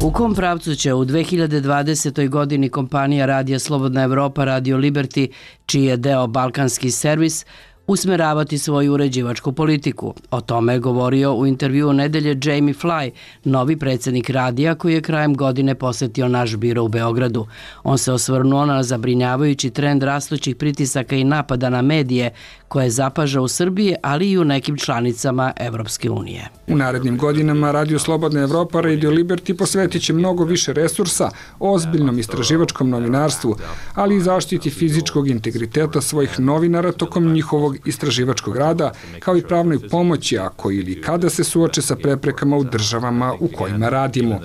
U kom pravcu će u dve hiljade dvadesetoj. godini kompanija Radija Slobodna Evropa Radio Liberty, čiji je deo Balkanski servis, usmeravati svoju uređivačku politiku? O tome je govorio u intervjuu nedelje Jamie Fly, novi predsjednik radija koji je krajem godine posetio naš biro u Beogradu. On se osvrnuo na zabrinjavajući trend rastućih pritisaka i napada na medije koje zapaža u Srbiji, ali i u nekim članicama Evropske unije. U narednim godinama Radio Slobodna Evropa Radio Liberty posvetit će mnogo više resursa ozbiljnom istraživačkom novinarstvu, ali i zaštiti fizičkog integriteta svojih novinara tokom njihovog istraživačkog rada, kao i pravnoj pomoći ako ili kada se suoče sa preprekama u državama u kojima radimo.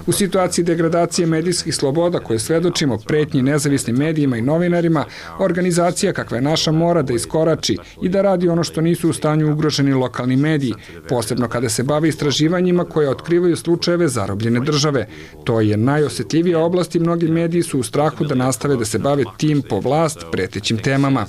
U situaciji degradacije medijskih sloboda koje svedočimo pretnji nezavisnim medijima i novinarima, organizacija kakva je naša mora da iskorači i da radi ono što nisu u stanju ugroženi lokalni mediji, posebno kada se bave istraživanjima koje otkrivaju slučajeve zarobljene države. To je najosjetljivija oblast i mnogi mediji su u strahu da nastave da se bave tim po vlast pretećim temama.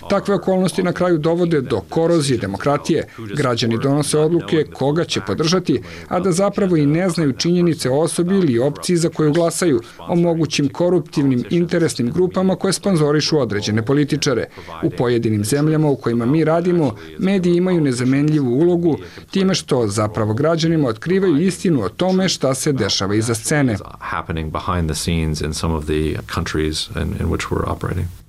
Takve okolnosti na kraju dovode do korozije demokratije. Građani donose odluke koga će podržati, a da zapravo i ne znaju činjenice o osobi ili opciji za koju glasaju, o mogućim koruptivnim interesnim grupama koje sponzorišu određene političare. U pojedinim zemljama u kojima mi radimo, mediji imaju nezamenljivu ulogu time što zapravo građanima otkrivaju istinu o tome šta se dešava iza scene.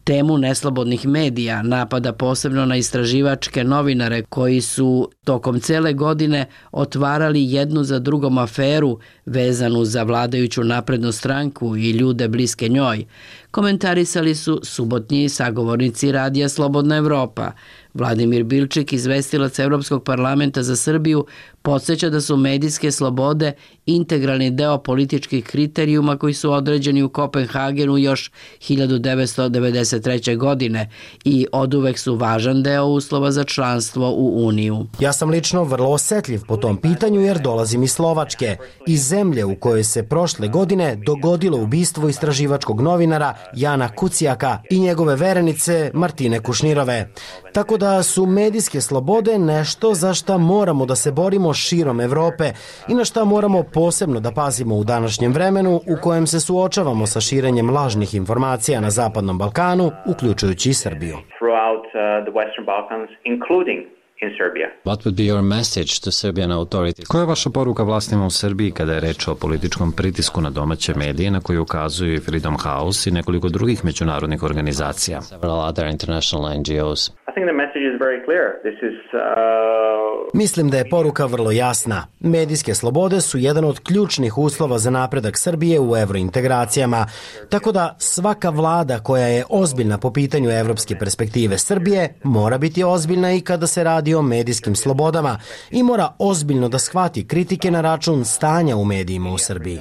Temu neslobodnih medija napada posebno na istraživačke novinare koji su tokom cele godine otvarali jednu za drugom aferu vezanu za vladajuću naprednu stranku i ljude bliske njoj. Komentarisali su subotnji sagovornici Radija Slobodna Evropa. Vladimir Bilčik, izvestilac Evropskog parlamenta za Srbiju, podsjeća da su medijske slobode integralni deo političkih kriterijuma koji su određeni u Kopenhagenu još hiljadu devetsto devedeset treće. godine i oduvek su važan deo uslova za članstvo u Uniju. Ja sam lično vrlo osetljiv po tom pitanju jer dolazim iz Slovačke, iz zemlje u kojoj se prošle godine dogodilo ubistvo istraživačkog novinara Jana Kucijaka i njegove verenice Martine Kušnirove. Tako da su medijske slobode nešto za šta moramo da se borimo širom Evrope i na šta moramo posebno da pazimo u današnjem vremenu u kojem se suočavamo sa širenjem lažnih informacija na Zapadnom Balkanu, uključujući i Srbiju. Koja je vaša poruka vlastima u Srbiji kada je reč o političkom pritisku na domaće medije na koje ukazuju i Freedom House i nekoliko drugih međunarodnih organizacija? Mislim da je poruka vrlo jasna. Medijske slobode su jedan od ključnih uslova za napredak Srbije u evrointegracijama, tako da svaka vlada koja je ozbiljna po pitanju evropske perspektive Srbije mora biti ozbiljna i kada se radi o medijskim slobodama i mora ozbiljno da shvati kritike na račun stanja u medijima u Srbiji.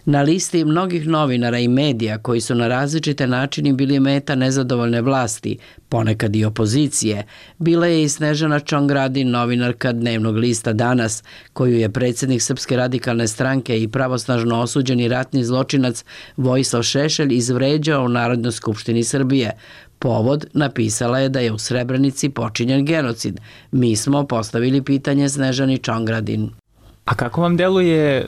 Na listi mnogih novinara i medija koji su na različite načine bili meta nezadovoljne vlasti, ponekad i opozicije, bila je i Snežana Čongradin, novinarka dnevnog lista Danas, koju je predsjednik Srpske radikalne stranke i pravosnažno osuđeni ratni zločinac Vojislav Šešelj izvređao u Narodnoj skupštini Srbije. Povod napisala je da je u Srebrenici počinjen genocid. Mi smo postavili pitanje Snežani Čongradin. A kako vam deluje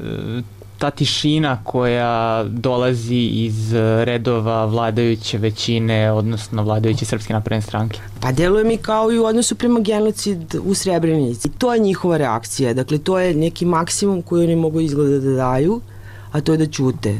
ta tišina koja dolazi iz redova vladajuće većine, odnosno vladajuće Srpske napredne stranke? Pa deluje mi kao i u odnosu prema genocid u Srebrenici. To je njihova reakcija, dakle to je neki maksimum koji oni mogu izgleda da daju, a to je da ćute.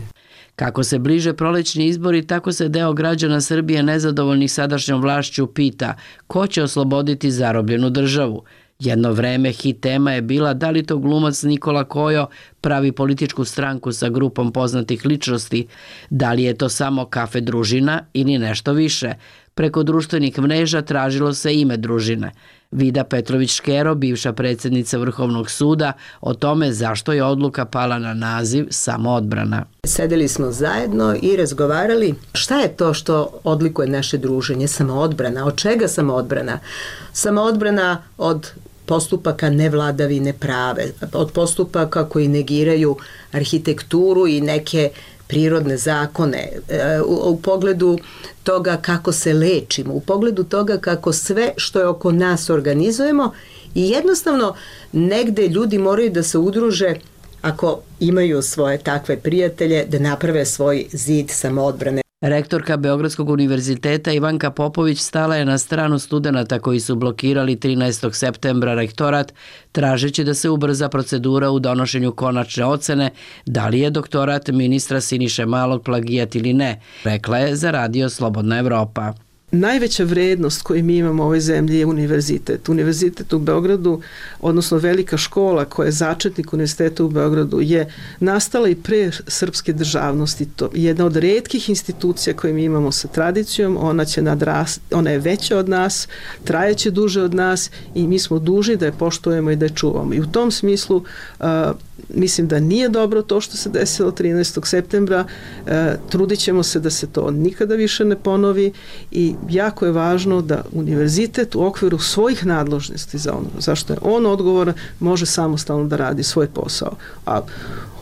Kako se bliže prolećni izbori, tako se deo građana Srbije nezadovoljnih sadašnjom vlašću pita ko će osloboditi zarobljenu državu. Jedno vreme hit tema je bila da li to glumac Nikola Kojo pravi političku stranku sa grupom poznatih ličnosti, da li je to samo kafe družina ili nešto više. Preko društvenih mreža tražilo se ime družine. Vida Petrović-Škero, bivša predsjednica Vrhovnog suda, o tome zašto je odluka pala na naziv Samoodbrana. Sedeli smo zajedno i razgovarali šta je to što odlikuje naše druženje, samoodbrana. Od čega samoodbrana? Samoodbrana od postupaka nevladavine prave, od postupaka koji negiraju arhitekturu i neke prirodne zakone, u, u pogledu toga kako se lečimo, u pogledu toga kako sve što je oko nas organizujemo i jednostavno negde ljudi moraju da se udruže ako imaju svoje takve prijatelje da naprave svoj zid samoodbrane. Rektorka Beogradskog univerziteta Ivanka Popović stala je na stranu studenata koji su blokirali trinaestog septembra rektorat, tražeći da se ubrza procedura u donošenju konačne ocene da li je doktorat ministra Siniše Malog plagijat ili ne, rekla je za radio Slobodna Evropa. Najveća vrednost koju mi imamo u ovoj zemlji je univerzitet. Univerzitet u Beogradu, odnosno velika škola koja je začetnik univerziteta u Beogradu, je nastala i pre srpske državnosti. To je jedna od retkih institucija koje mi imamo sa tradicijom, ona će nadrast, ona je veća od nas, trajeće duže od nas i mi smo dužni da je poštujemo i da je čuvamo. I u tom smislu uh, mislim da nije dobro to što se desilo trinaestog septembra, uh, trudit ćemo se da se to nikada više ne ponovi i jako je važno da univerzitet u okviru svojih nadležnosti za ono, zašto je on odgovoran, može samostalno da radi svoj posao. A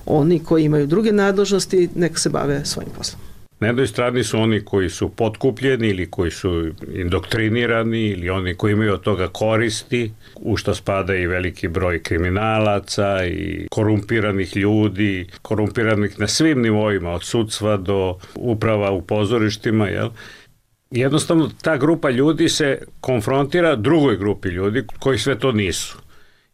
oni koji imaju druge nadležnosti, neka se bave svojim poslom. Na jednoj strani su oni koji su potkupljeni ili koji su indoktrinirani ili oni koji imaju od toga koristi, u što spada i veliki broj kriminalaca i korumpiranih ljudi, korumpiranih na svim nivoima, od sudstva do uprava u pozorištima, jel? Jednostavno ta grupa ljudi se konfrontira drugoj grupi ljudi koji sve to nisu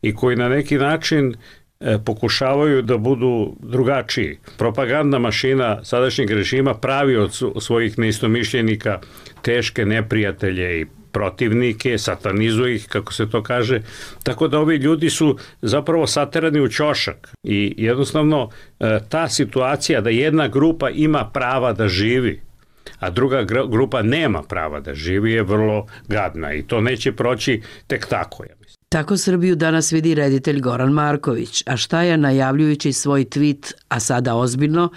i koji na neki način e, pokušavaju da budu drugačiji. Propagandna mašina sadašnjeg režima pravi od svojih neistomišljenika teške neprijatelje i protivnike, satanizuje ih, kako se to kaže, tako da ovi ljudi su zapravo saterani u ćošak i jednostavno e, ta situacija da jedna grupa ima prava da živi, a druga grupa nema prava da živi je vrlo gadna i to neće proći tek tako, ja mislim. Tako Srbiju danas vidi reditelj Goran Marković, a šta je najavljujući svoj tweet, a sada ozbiljno,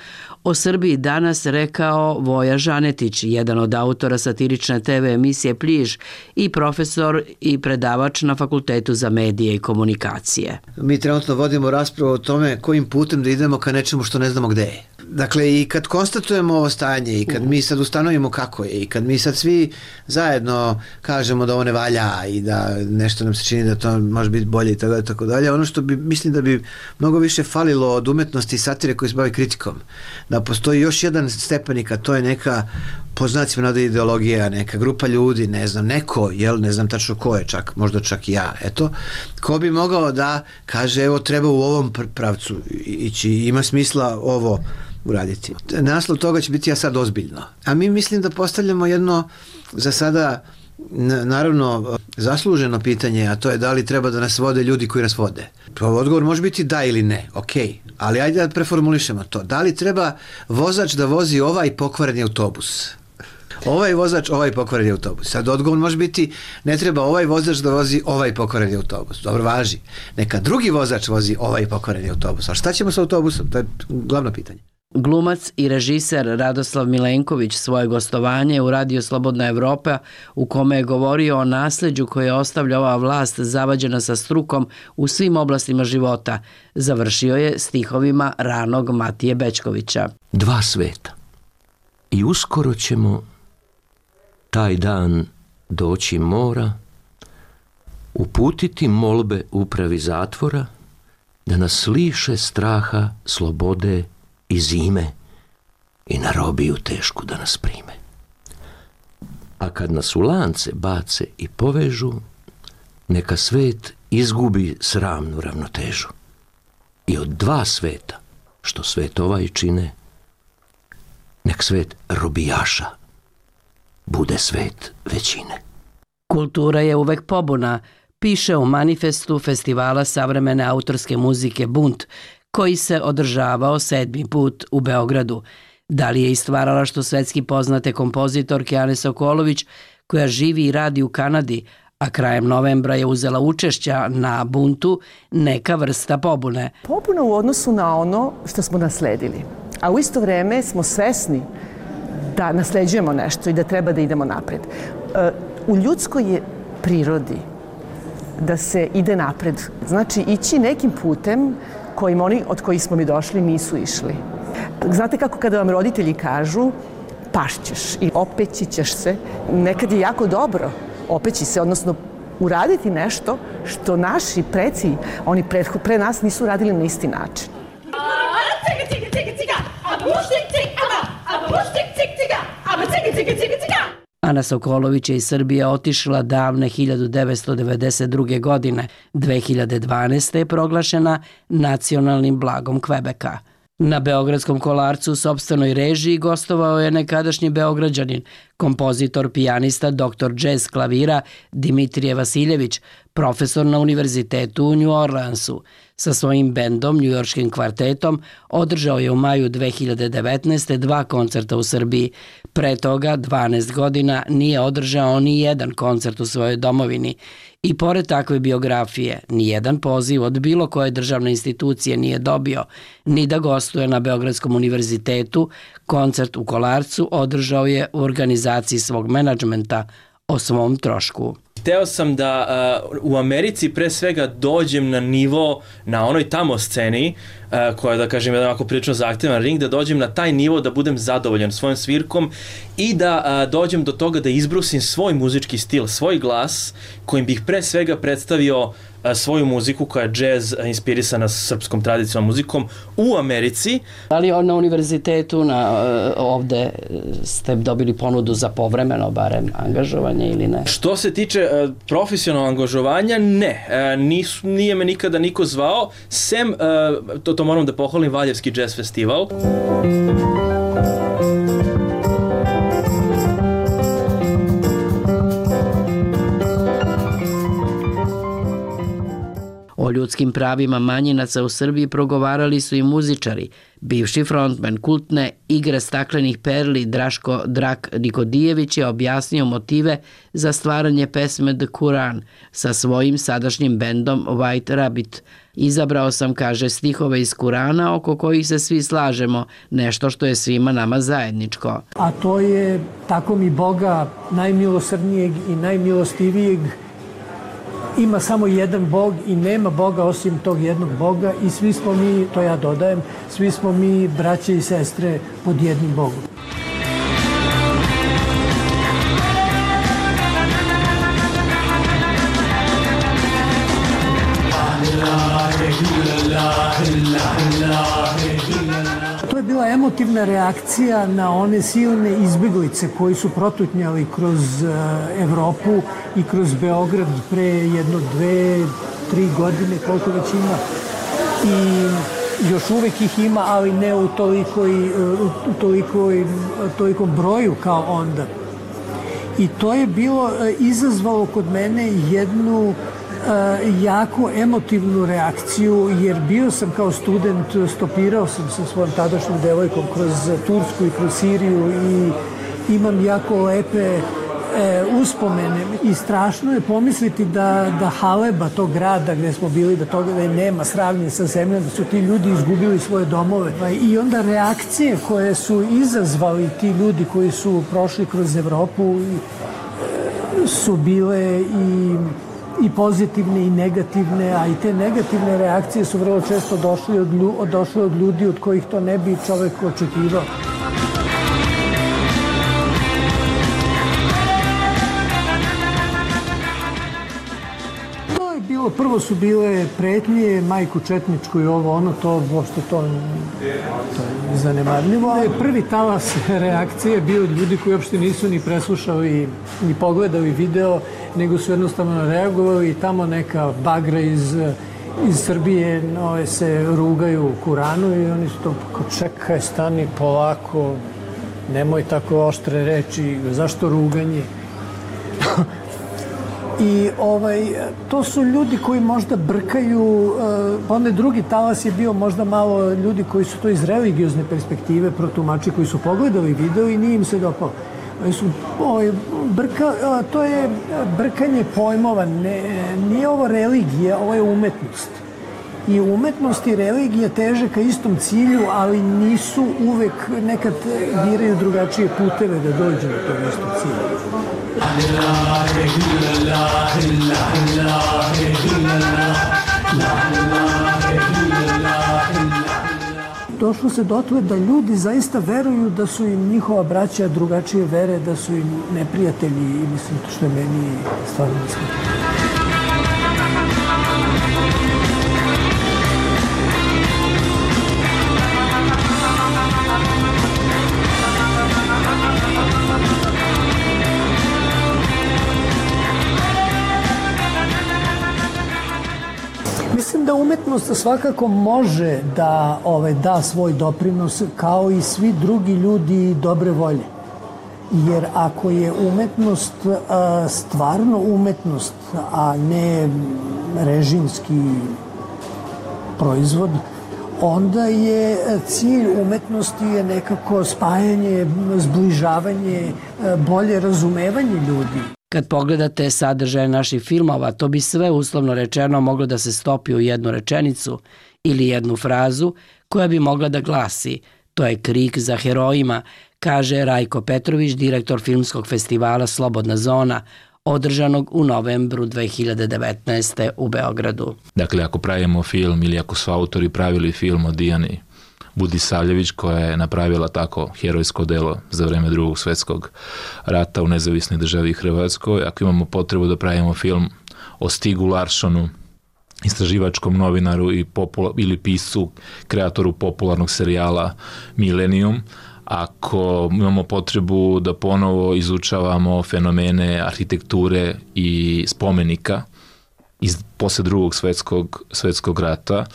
o Srbiji danas rekao Voja Žanetić, jedan od autora satirične te ve emisije Pliž i profesor i predavač na Fakultetu za medije i komunikacije. Mi trenutno vodimo raspravu o tome kojim putem da idemo ka nečemu što ne znamo gde je. Dakle, i kad konstatujemo ovo stanje i kad mi sad ustanovimo kako je i kad mi sad svi zajedno kažemo da ovo ne valja i da nešto nam se čini da to može biti bolje i tako dalje, tako dalje, ono što bi, mislim da bi mnogo više falilo od umetnosti i satire koji se bavi kritikom. Da postoji još jedan stepenik, a to je neka po znacima navode ideologija, neka grupa ljudi, ne znam, neko, jel, ne znam tačno ko je, čak, možda čak i ja, eto, ko bi mogao da kaže, evo, treba u ovom pravcu ići, ima smisla ovo uraditi. Naslov toga će biti ja sad ozbiljno. A mi mislim da postavljamo jedno za sada naravno zasluženo pitanje, a to je da li treba da nas vode ljudi koji nas vode. Odgovor može biti da ili ne, ok, ali ajde da preformulišemo to. Da li treba vozač da vozi ovaj pokvareni autobus? Ovaj vozač, ovaj pokvareni autobus. Sad odgovor može biti ne treba ovaj vozač da vozi ovaj pokvareni autobus. Dobro, važi. Neka drugi vozač vozi ovaj pokvareni autobus. A šta ćemo sa autobusom? To je glavno pitanje. Glumac i režiser Radoslav Milenković svoje gostovanje u Radio Slobodna Evropa, u kome je govorio o nasleđu koje ostavlja ova vlast zavađena sa strukom u svim oblastima života, završio je stihovima ranog Matije Bećkovića. Dva sveta. I uskoro ćemo taj dan doći mora, uputiti molbe upravi zatvora da nas liše straha, slobode i zime i na robiju tešku da nas prime. A kad nas u lance bace i povežu, neka svet izgubi sramnu ravnotežu. I od dva sveta, što svet ovaj čine, nek svet robijaša bude svet većine. Kultura je uvek pobuna, piše u manifestu Festivala savremene autorske muzike Bunt, koji se održavao sedmi put u Beogradu. Da li je i stvaralaštvo svetski poznate kompozitorke Ane Sokolović, koja živi i radi u Kanadi, a krajem novembra je uzela učešća na Buntu, neka vrsta pobune. Pobuna u odnosu na ono što smo nasledili, a u isto vreme smo svesni da nasleđujemo nešto i da treba da idemo napred. U ljudskoj je prirodi da se ide napred. Znači, ići nekim putem kojim oni od kojih smo mi došli nisu išli. Znate kako kada vam roditelji kažu pašćeš i opeći ćeš se, nekad je jako dobro opeći se, odnosno uraditi nešto što naši preci, oni pre, pre nas nisu radili na isti način. Ana Sokolović je iz Srbije otišla davne hiljadu devetsto devedeset druge. godine. dve hiljade dvanaeste. je proglašena nacionalnim blagom Kvebeka. Na Beogradskom kolarcu u sopstvenoj režiji gostovao je nekadašnji Beograđanin, kompozitor, pijanista, doktor džez klavira Dimitrije Vasiljević, profesor na univerzitetu u New Orleansu. Sa svojim bendom, njujorškim kvartetom, održao je u maju dve hiljade devetnaeste. dva koncerta u Srbiji. Pre toga, dvanaest godina, nije održao ni jedan koncert u svojoj domovini. I pored takve biografije, ni jedan poziv od bilo koje državne institucije nije dobio, ni da gostuje na Beogradskom univerzitetu. Koncert u Kolarcu održao je u organizaciji svog menadžmenta o svom trošku. Hteo sam da uh, u Americi pre svega dođem na nivo, na onoj tamo sceni, uh, koja, da kažem, jedan ovako prilično zahtjevan ring, da dođem na taj nivo, da budem zadovoljan svojim svirkom i da uh, dođem do toga da izbrusim svoj muzički stil, svoj glas, kojim bih pre svega predstavio svoju muziku koja je džez inspirisana srpskom tradicionalnom muzikom u Americi. Da li na univerzitetu na, ovde ste dobili ponudu za povremeno barem angažovanje ili ne? Što se tiče uh, profesionalnog angažovanja, ne. Uh, nis, nije me nikada niko zvao, sem, uh, to, to moram da pohvalim, Valjevski džez festival. O ljudskim pravima manjinaca u Srbiji progovarali su i muzičari. Bivši frontman kultne Igre staklenih perli Draško Drak Nikodijević je objasnio motive za stvaranje pesme The Quran sa svojim sadašnjim bendom White Rabbit. Izabrao sam, kaže, stihove iz Kurana oko kojih se svi slažemo, nešto što je svima nama zajedničko. A to je tako mi Boga najmilosrdnijeg i najmilostivijeg. Ima samo jedan Bog i nema Boga osim tog jednog Boga i svi smo mi, to ja dodajem, svi smo mi braće i sestre pod jednim Bogom. To je bila emotivna reakcija na one silne izbjeglice koji su protutnjali kroz Evropu i kroz Beograd pre jedno, dve, tri godine, koliko već ima. I još uvek ih ima, ali ne u tolikoj, u tolikoj, tolikom broju kao onda. I to je bilo izazvalo kod mene jednu jako emotivnu reakciju, jer bio sam kao student, stopirao sam sa svojom tadašnjom devojkom kroz Tursku i kroz Siriju i imam jako lepe e, uspomene i strašno je pomisliti da, da Haleba, tog grada gde smo bili, da toga da je nema sravnje sa zemljom, da su ti ljudi izgubili svoje domove i onda reakcije koje su izazvali ti ljudi koji su prošli kroz Evropu e, su bile i i pozitivne i negativne, a i te negativne reakcije su vrlo često došle od, lju, došle od ljudi od kojih to ne bi čovek očekivao. To je bilo, prvo su bile pretnje, majku četničku i ovo, ono, to, uopšte to, to je zanemarljivo. Prvi talas reakcije je bio od ljudi koji uopšte nisu ni preslušali, ni pogledali video, nego su jednostavno reagovali i tamo neka bagra iz, iz Srbije no, se rugaju Kuranu i oni su to, kao čekaj, stani polako, nemoj tako oštre reči, zašto ruganje? I ovaj, to su ljudi koji možda brkaju, pa onaj drugi talas je bio možda malo ljudi koji su to iz religiozne perspektive protumači, koji su pogledali video i nije im se dopalo. Su, ovaj, brka, to je brkanje pojmova, ne, nije ovo religija, ovo je umetnost. I umetnost i religija teže ka istom cilju, ali nisu uvek, nekad biraju drugačije puteve da dođu na to isto cilju. Došlo se dotle da ljudi zaista veruju da su im njihova braća drugačije vere, da su im neprijatelji i mislim to što je meni stvarno mislim. Mislim da umetnost svakako može da ovaj, da svoj doprinos kao i svi drugi ljudi dobre volje. Jer ako je umetnost a, stvarno umetnost, a ne režimski proizvod, onda je cilj umetnosti je nekako spajanje, zbližavanje, bolje razumevanje ljudi. Kad pogledate sadržaje naših filmova, to bi sve uslovno rečeno moglo da se stopi u jednu rečenicu ili jednu frazu koja bi mogla da glasi "To je krik za herojima", kaže Rajko Petrović, direktor filmskog festivala Slobodna zona, održanog u novembru dve hiljade devetnaeste. u Beogradu. Dakle, ako pravimo film ili ako su autori pravili film o Dijani Budisavljević, koja je napravila tako herojsko delo za vreme Drugog svetskog rata u nezavisnoj državi Hrvatskoj, ako imamo potrebu da pravimo film o Stigu Larssonu, istraživačkom novinaru i popula, ili piscu, kreatoru popularnog serijala Millennium, ako imamo potrebu da ponovo izučavamo fenomene arhitekture i spomenika iz posle Drugog svetskog, svetskog rata,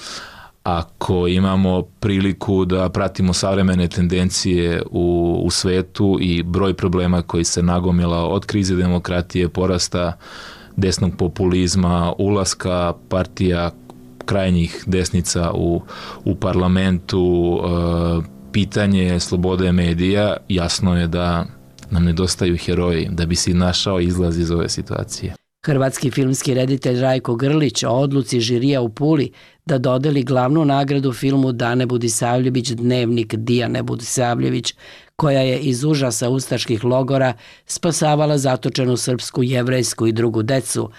ako imamo priliku da pratimo savremene tendencije u, u svetu i broj problema koji se nagomila od krize demokratije, porasta desnog populizma, ulaska partija krajnjih desnica u, u parlamentu, e, pitanje slobode medija, jasno je da nam nedostaju heroji da bi si našao izlaz iz ove situacije. Hrvatski filmski reditelj Rajko Grlić o odluci žirija u Puli da dodeli glavnu nagradu filmu Dane Budisavljević Dnevnik Dijane Budisavljević, koja je iz užasa ustaških logora spasavala zatočenu srpsku, jevrejsku i drugu decu,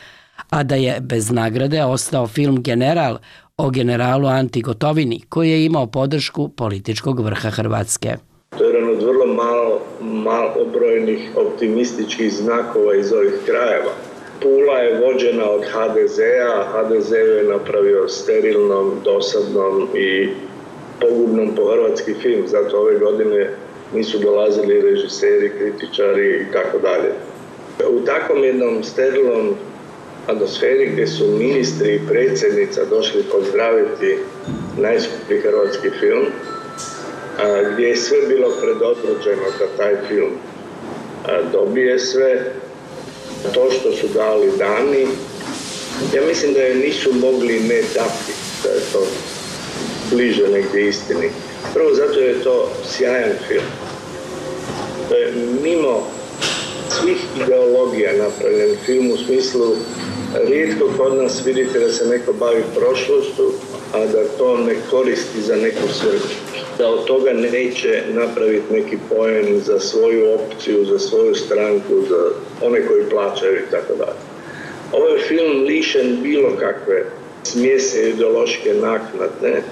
a da je bez nagrade ostao film General o generalu Anti Gotovini, koji je imao podršku političkog vrha Hrvatske. To je jedan od vrlo malo, malo obrojnih optimističkih znakova iz ovih krajeva. Pula je vođena od ha de zea, ha de ze je napravio sterilnom, dosadnom i pogubnom po hrvatski film, zato ove godine nisu dolazili režiseri, kritičari i tako dalje. U takvom jednom sterilnom atmosferi gdje su ministri i predsjednica došli pozdraviti najskuplji hrvatski film, gdje je sve bilo predodređeno da taj film dobije sve, to što su dali dani, ja mislim da je nisu mogli ne dati, da je to bliže negdje istini. Prvo zato je to sjajan film. To je mimo svih ideologija napravljen film u smislu rijetko kod nas vidite da se neko bavi prošlošću, a da to ne koristi za neku svrhu. Da od toga neće napraviti neki poen za svoju opciju, za svoju stranku, za one koji plaćaju i tako dalje. Ovo je film lišen bilo kakve smjese ideološke naknade.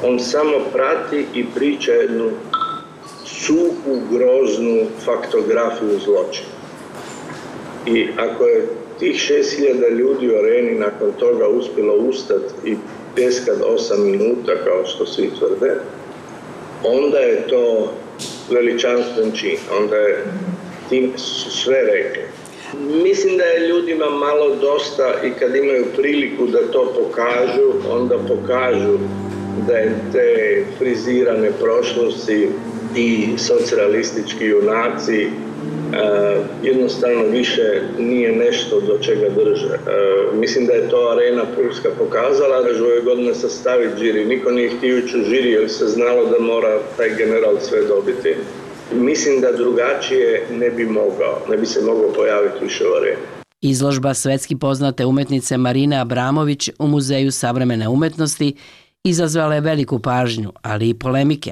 On samo prati i priča jednu suhu, groznu faktografiju zločina. I ako je tih šest hiljada ljudi u areni nakon toga uspjelo ustati i pjeskat osam minuta, kao što svi tvrde, onda je to veličanstven čin, onda je tim su sve rekli. Mislim da je ljudima malo dosta i kad imaju priliku da to pokažu, onda pokažu da je te frizirane prošlosti i socijalistički junaci uh, jednostavno više nije nešto do čega drže. Uh, mislim da je to Arena Pulska pokazala, da ove godine sastaviti žiri. Niko nije htio ići u žiri jer se znalo da mora taj general sve dobiti. Mislim da drugačije ne bi mogao, ne bi se mogao pojaviti više u Areni. Izložba svetski poznate umetnice Marine Abramović u Muzeju savremene umetnosti izazvala je veliku pažnju, ali i polemike.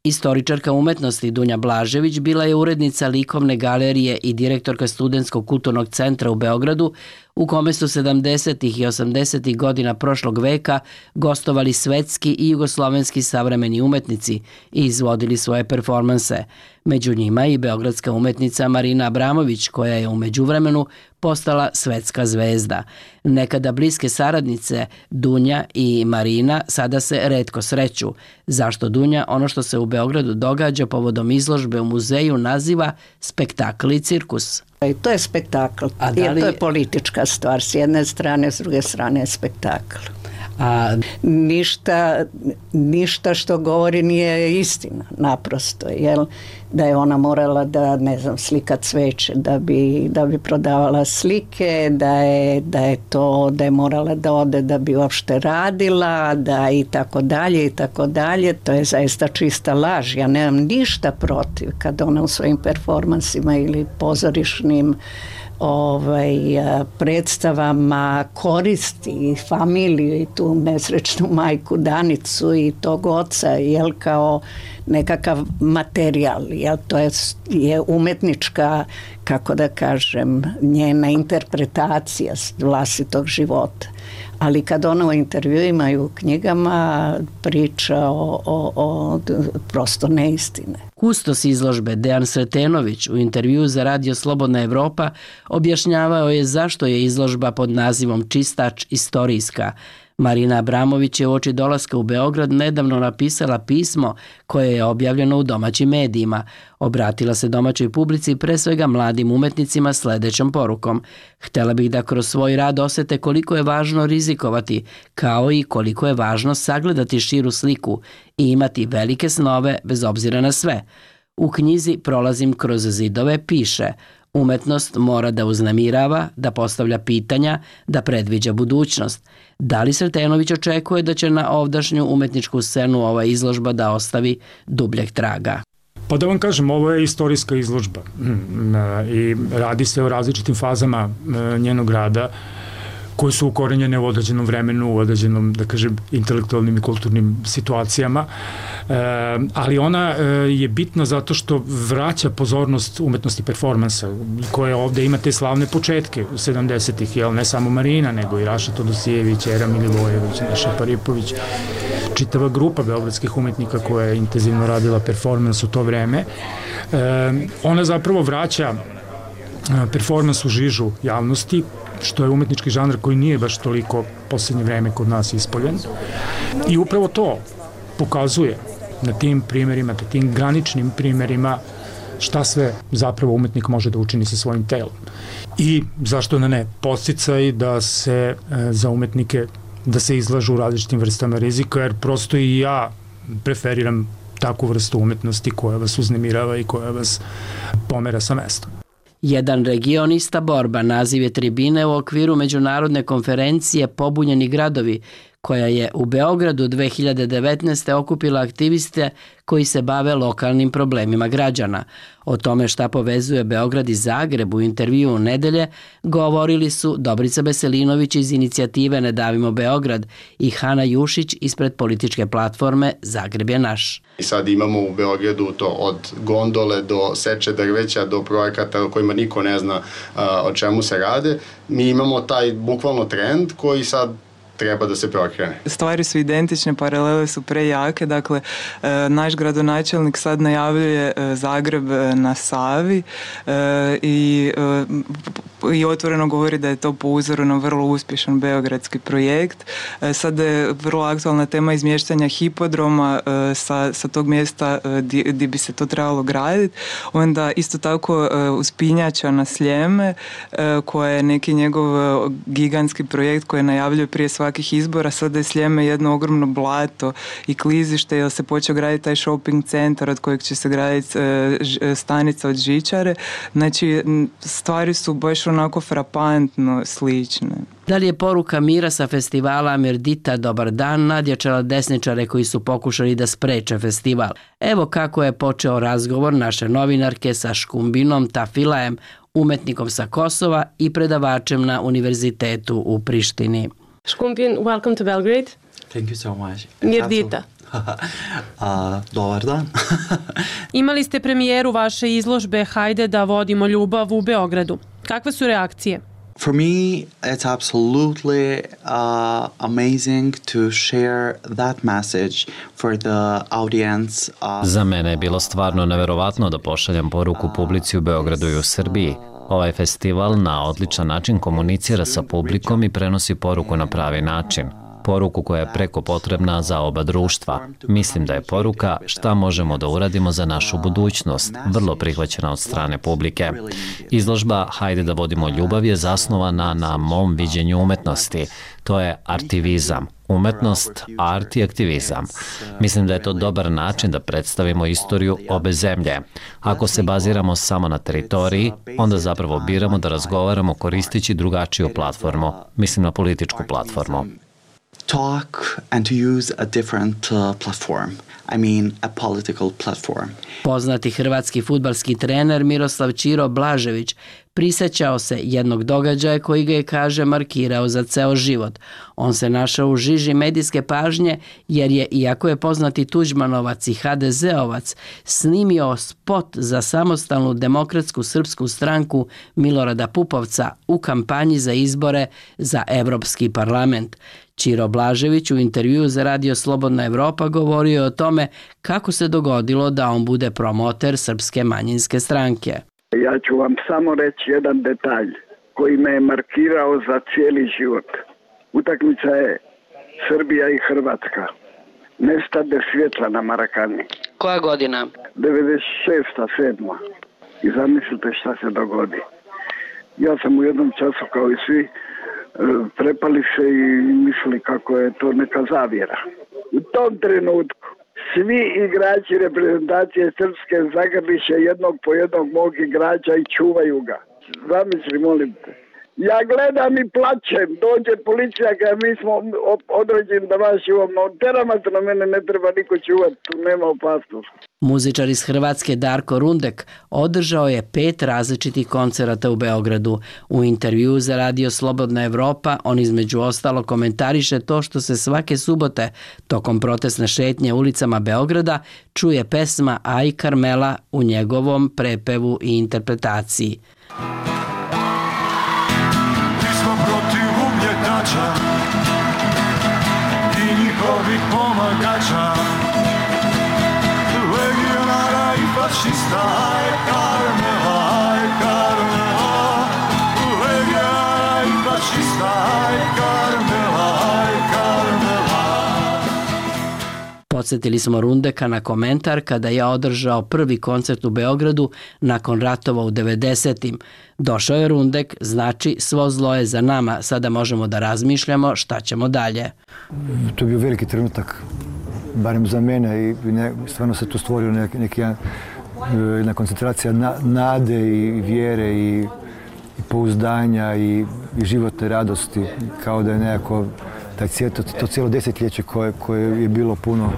Istoričarka umetnosti Dunja Blažević bila je urednica likovne galerije i direktorka Studentskog kulturnog centra u Beogradu, u kome su sedamdesetih i osamdesetih godina prošlog veka gostovali svetski i jugoslovenski savremeni umetnici i izvodili svoje performanse. Među njima i beogradska umetnica Marina Abramović, koja je u međuvremenu postala svetska zvezda. Nekada bliske saradnice Dunja i Marina sada se retko sreću. Zašto Dunja ono što se u Beogradu događa povodom izložbe u muzeju naziva spektakl i cirkus? I to je spektakl, A da li... jer to je politička stvar, s jedne strane, s druge strane je spektakl. A... Ništa, ništa što govori nije istina, naprosto, jel? Da je ona morala da, ne znam, slika cveće, da bi, da bi prodavala slike, da je, da je to, da je morala da ode da bi uopšte radila, da i tako dalje i tako dalje, to je zaista čista laž. Ja nemam ništa protiv kad ona u svojim performansima ili pozorišnim ovaj, predstavama koristi familiju i tu nesrećnu majku Danicu i tog oca, jel, kao nekakav materijal, jel, to je, je umetnička, kako da kažem, njena interpretacija vlastitog života. Ali kad ona u intervjuima i u knjigama priča o, o, o prosto neistine. Kustos izložbe Dejan Sretenović u intervjuu za Radio Slobodna Evropa objašnjavao je zašto je izložba pod nazivom Čistač istorijska. Marina Abramović je uoči dolaska u Beograd nedavno napisala pismo koje je objavljeno u domaćim medijima. Obratila se domaćoj publici i pre svega mladim umetnicima sledećom porukom. Htela bih da kroz svoj rad osete koliko je važno rizikovati, kao i koliko je važno sagledati širu sliku i imati velike snove bez obzira na sve. U knjizi Prolazim kroz zidove piše: umetnost mora da uznemirava, da postavlja pitanja, da predviđa budućnost. Da li Sretenović očekuje da će na ovdašnju umetničku scenu ova izložba da ostavi dubljeg traga? Pa da vam kažem, ovo je istorijska izložba i radi se o različitim fazama njenog rada koje su ukorenjene u određenom vremenu, u određenom, da kažem, intelektualnim i kulturnim situacijama, e, ali ona e, je bitna zato što vraća pozornost umetnosti performansa, koje ovde ima te slavne početke u sedamdesetih, jel, ne samo Marina, nego i Raša Todosijević, Era Milivojević, Neša Paripović, čitava grupa beogradskih umetnika koja je intenzivno radila performans u to vreme. E, ona zapravo vraća performans u žižu javnosti, što je umetnički žanr koji nije baš toliko posljednje vreme kod nas ispoljen. I upravo to pokazuje na tim primjerima, na tim graničnim primjerima šta sve zapravo umetnik može da učini sa svojim telom. I zašto na ne, podsticaj da se e, za umetnike da se izlažu u različitim vrstama rizika, jer prosto i ja preferiram takvu vrstu umetnosti koja vas uznemirava i koja vas pomera sa mestom. Jedan regionista borba naziv je tribine u okviru međunarodne konferencije Pobunjeni gradovi, koja je u Beogradu dve hiljade devetnaeste. okupila aktiviste koji se bave lokalnim problemima građana. O tome šta povezuje Beograd i Zagreb u intervju u nedelje govorili su Dobrica Beselinović iz inicijative Ne davimo Beograd i Hana Jušić ispred političke platforme Zagreb je naš. I sad imamo u Beogradu to od gondole do seče drveća do projekata o kojima niko ne zna a, o čemu se rade. Mi imamo taj bukvalno trend koji sad treba da se prokrene. Stvari su identične, paralele su prejake, dakle e, naš gradonačelnik sad najavljuje e, Zagreb na Savi e, i e, i otvoreno govori da je to po uzoru na vrlo uspješan beogradski projekt. Sada je vrlo aktualna tema izmještanja hipodroma sa, sa tog mjesta gdje bi se to trebalo graditi. Onda isto tako uspinjača na Sljeme, koja je neki njegov gigantski projekt koji najavljuje prije svakih izbora. Sada je Sljeme jedno ogromno blato i klizište, jer se počeo graditi taj shopping centar od kojeg će se graditi stanica od žičare. Znači, stvari su baš onako frapantno slične. Da li je poruka mira sa festivala Mirdita Dobar dan nadjačala desničare koji su pokušali da spreče festival? Evo kako je počeo razgovor naše novinarke sa Škumbinom Tafilajem, umetnikom sa Kosova i predavačem na univerzitetu u Prištini. Škumbin, welcome to Belgrade. Thank you so much. Mirdita. uh, dobar dan. Imali ste premijeru vaše izložbe Hajde da vodimo ljubav u Beogradu. Kakve su reakcije? For me, it's absolutely uh, amazing to share that message for the audience. Uh, Za mene je bilo stvarno neverovatno da pošaljem poruku publici u Beogradu i u Srbiji. Ovaj festival na odličan način komunicira sa publikom i prenosi poruku na pravi način. Poruku koja je preko potrebna za oba društva. Mislim da je poruka šta možemo da uradimo za našu budućnost, vrlo prihvaćena od strane publike. Izložba Hajde da vodimo ljubav je zasnovana na mom viđenju umetnosti. To je artivizam. Umetnost, art i aktivizam. Mislim da je to dobar način da predstavimo istoriju obe zemlje. Ako se baziramo samo na teritoriji, onda zapravo biramo da razgovaramo koristeći drugačiju platformu. Mislim na političku platformu. talk and to use a different uh, platform. I mean, a political platform. Poznati hrvatski fudbalski trener Miroslav Ćiro Blažević prisećao se jednog događaja koji ga je, kaže, markirao za ceo život. On se našao u žiži medijske pažnje jer je, iako je poznati Tuđmanovac i ha de zeovac, snimio spot za samostalnu demokratsku srpsku stranku Milorada Pupovca u kampanji za izbore za Evropski parlament. Ćiro Blažević u intervjuu za Radio Slobodna Evropa govorio o tome kako se dogodilo da on bude promoter Srpske manjinske stranke. Ja ću vam samo reći jedan detalj koji me je markirao za cijeli život. Utakmica je Srbija i Hrvatska. Nestade svjetla na Marakani. Koja godina? devedeset šesta sedma I zamislite šta se dogodi. Ja sam u jednom času kao i svi prepali se i mislili kako je to neka zavjera. U tom trenutku svi igrači reprezentacije Srpske zagrliše jednog po jednog mog igrača i čuvaju ga. Zamisli, molim te. Ja gledam i plačem, dođe policija kada mi smo određeni da vas čuvamo. Teramatno mene ne treba niko čuvati, tu nema opasnosti. Muzičar iz Hrvatske Darko Rundek održao je pet različitih koncerata u Beogradu. U intervjuu za Radio Slobodna Evropa on između ostalo komentariše to što se svake subote tokom protestne šetnje ulicama Beograda čuje pesma Aj Karmela u njegovom prepevu i interpretaciji. I njihovih pomagača, legionara i fašista. Aj Karmela, aj Karmela, legionara i fašista. Aj Karmela, aj Karmela. Podsjetili smo Rundeka na komentar kada je održao prvi koncert u Beogradu nakon ratova u devedesetim. Došao je Rundek, znači svo zlo je za nama, sada možemo da razmišljamo šta ćemo dalje. To je bio veliki trenutak, barem za mene, i ne, stvarno se tu stvorio neki, neki jedna koncentracija na, nade i vjere i, i pouzdanja i, i životne radosti, kao da je nekako taj cijelo, to, to cijelo desetljeće koje, koje je bilo puno,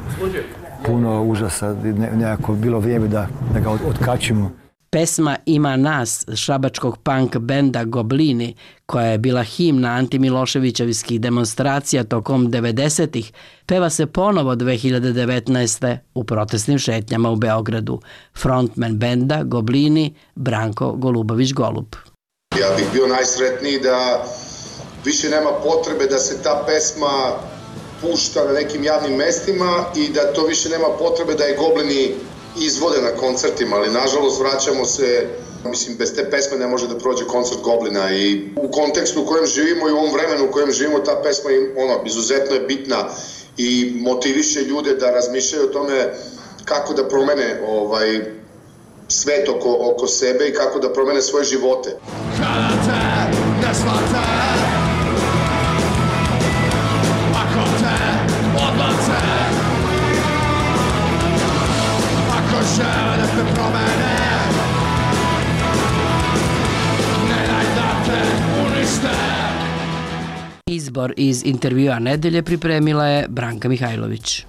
puno užasa, ne, nekako bilo vrijeme da, da ga od, otkačimo. Pesma Ima nas šabačkog punk benda Goblini, koja je bila himna antimiloševićevskih demonstracija tokom devedesetih, peva se ponovo dve hiljade devetnaeste. u protestnim šetnjama u Beogradu. Frontman benda Goblini Branko Golubović-Golub. Ja bih bio najsretniji da više nema potrebe da se ta pesma pušta na nekim javnim mestima i da to više nema potrebe da je Goblini izvode na koncertima, ali nažalost vraćamo se Mislim, bez te pesme ne može da prođe koncert Goblina i u kontekstu u kojem živimo i u ovom vremenu u kojem živimo, ta pesma je, ono, izuzetno je bitna i motiviše ljude da razmišljaju o tome kako da promene ovaj, svet oko, oko sebe i kako da promene svoje živote. Kada te ne shvate, ako te odbace, ako žele da te promene, ne daj da te unište. Izbor iz intervjua nedelje pripremila je Branka Mihajlović.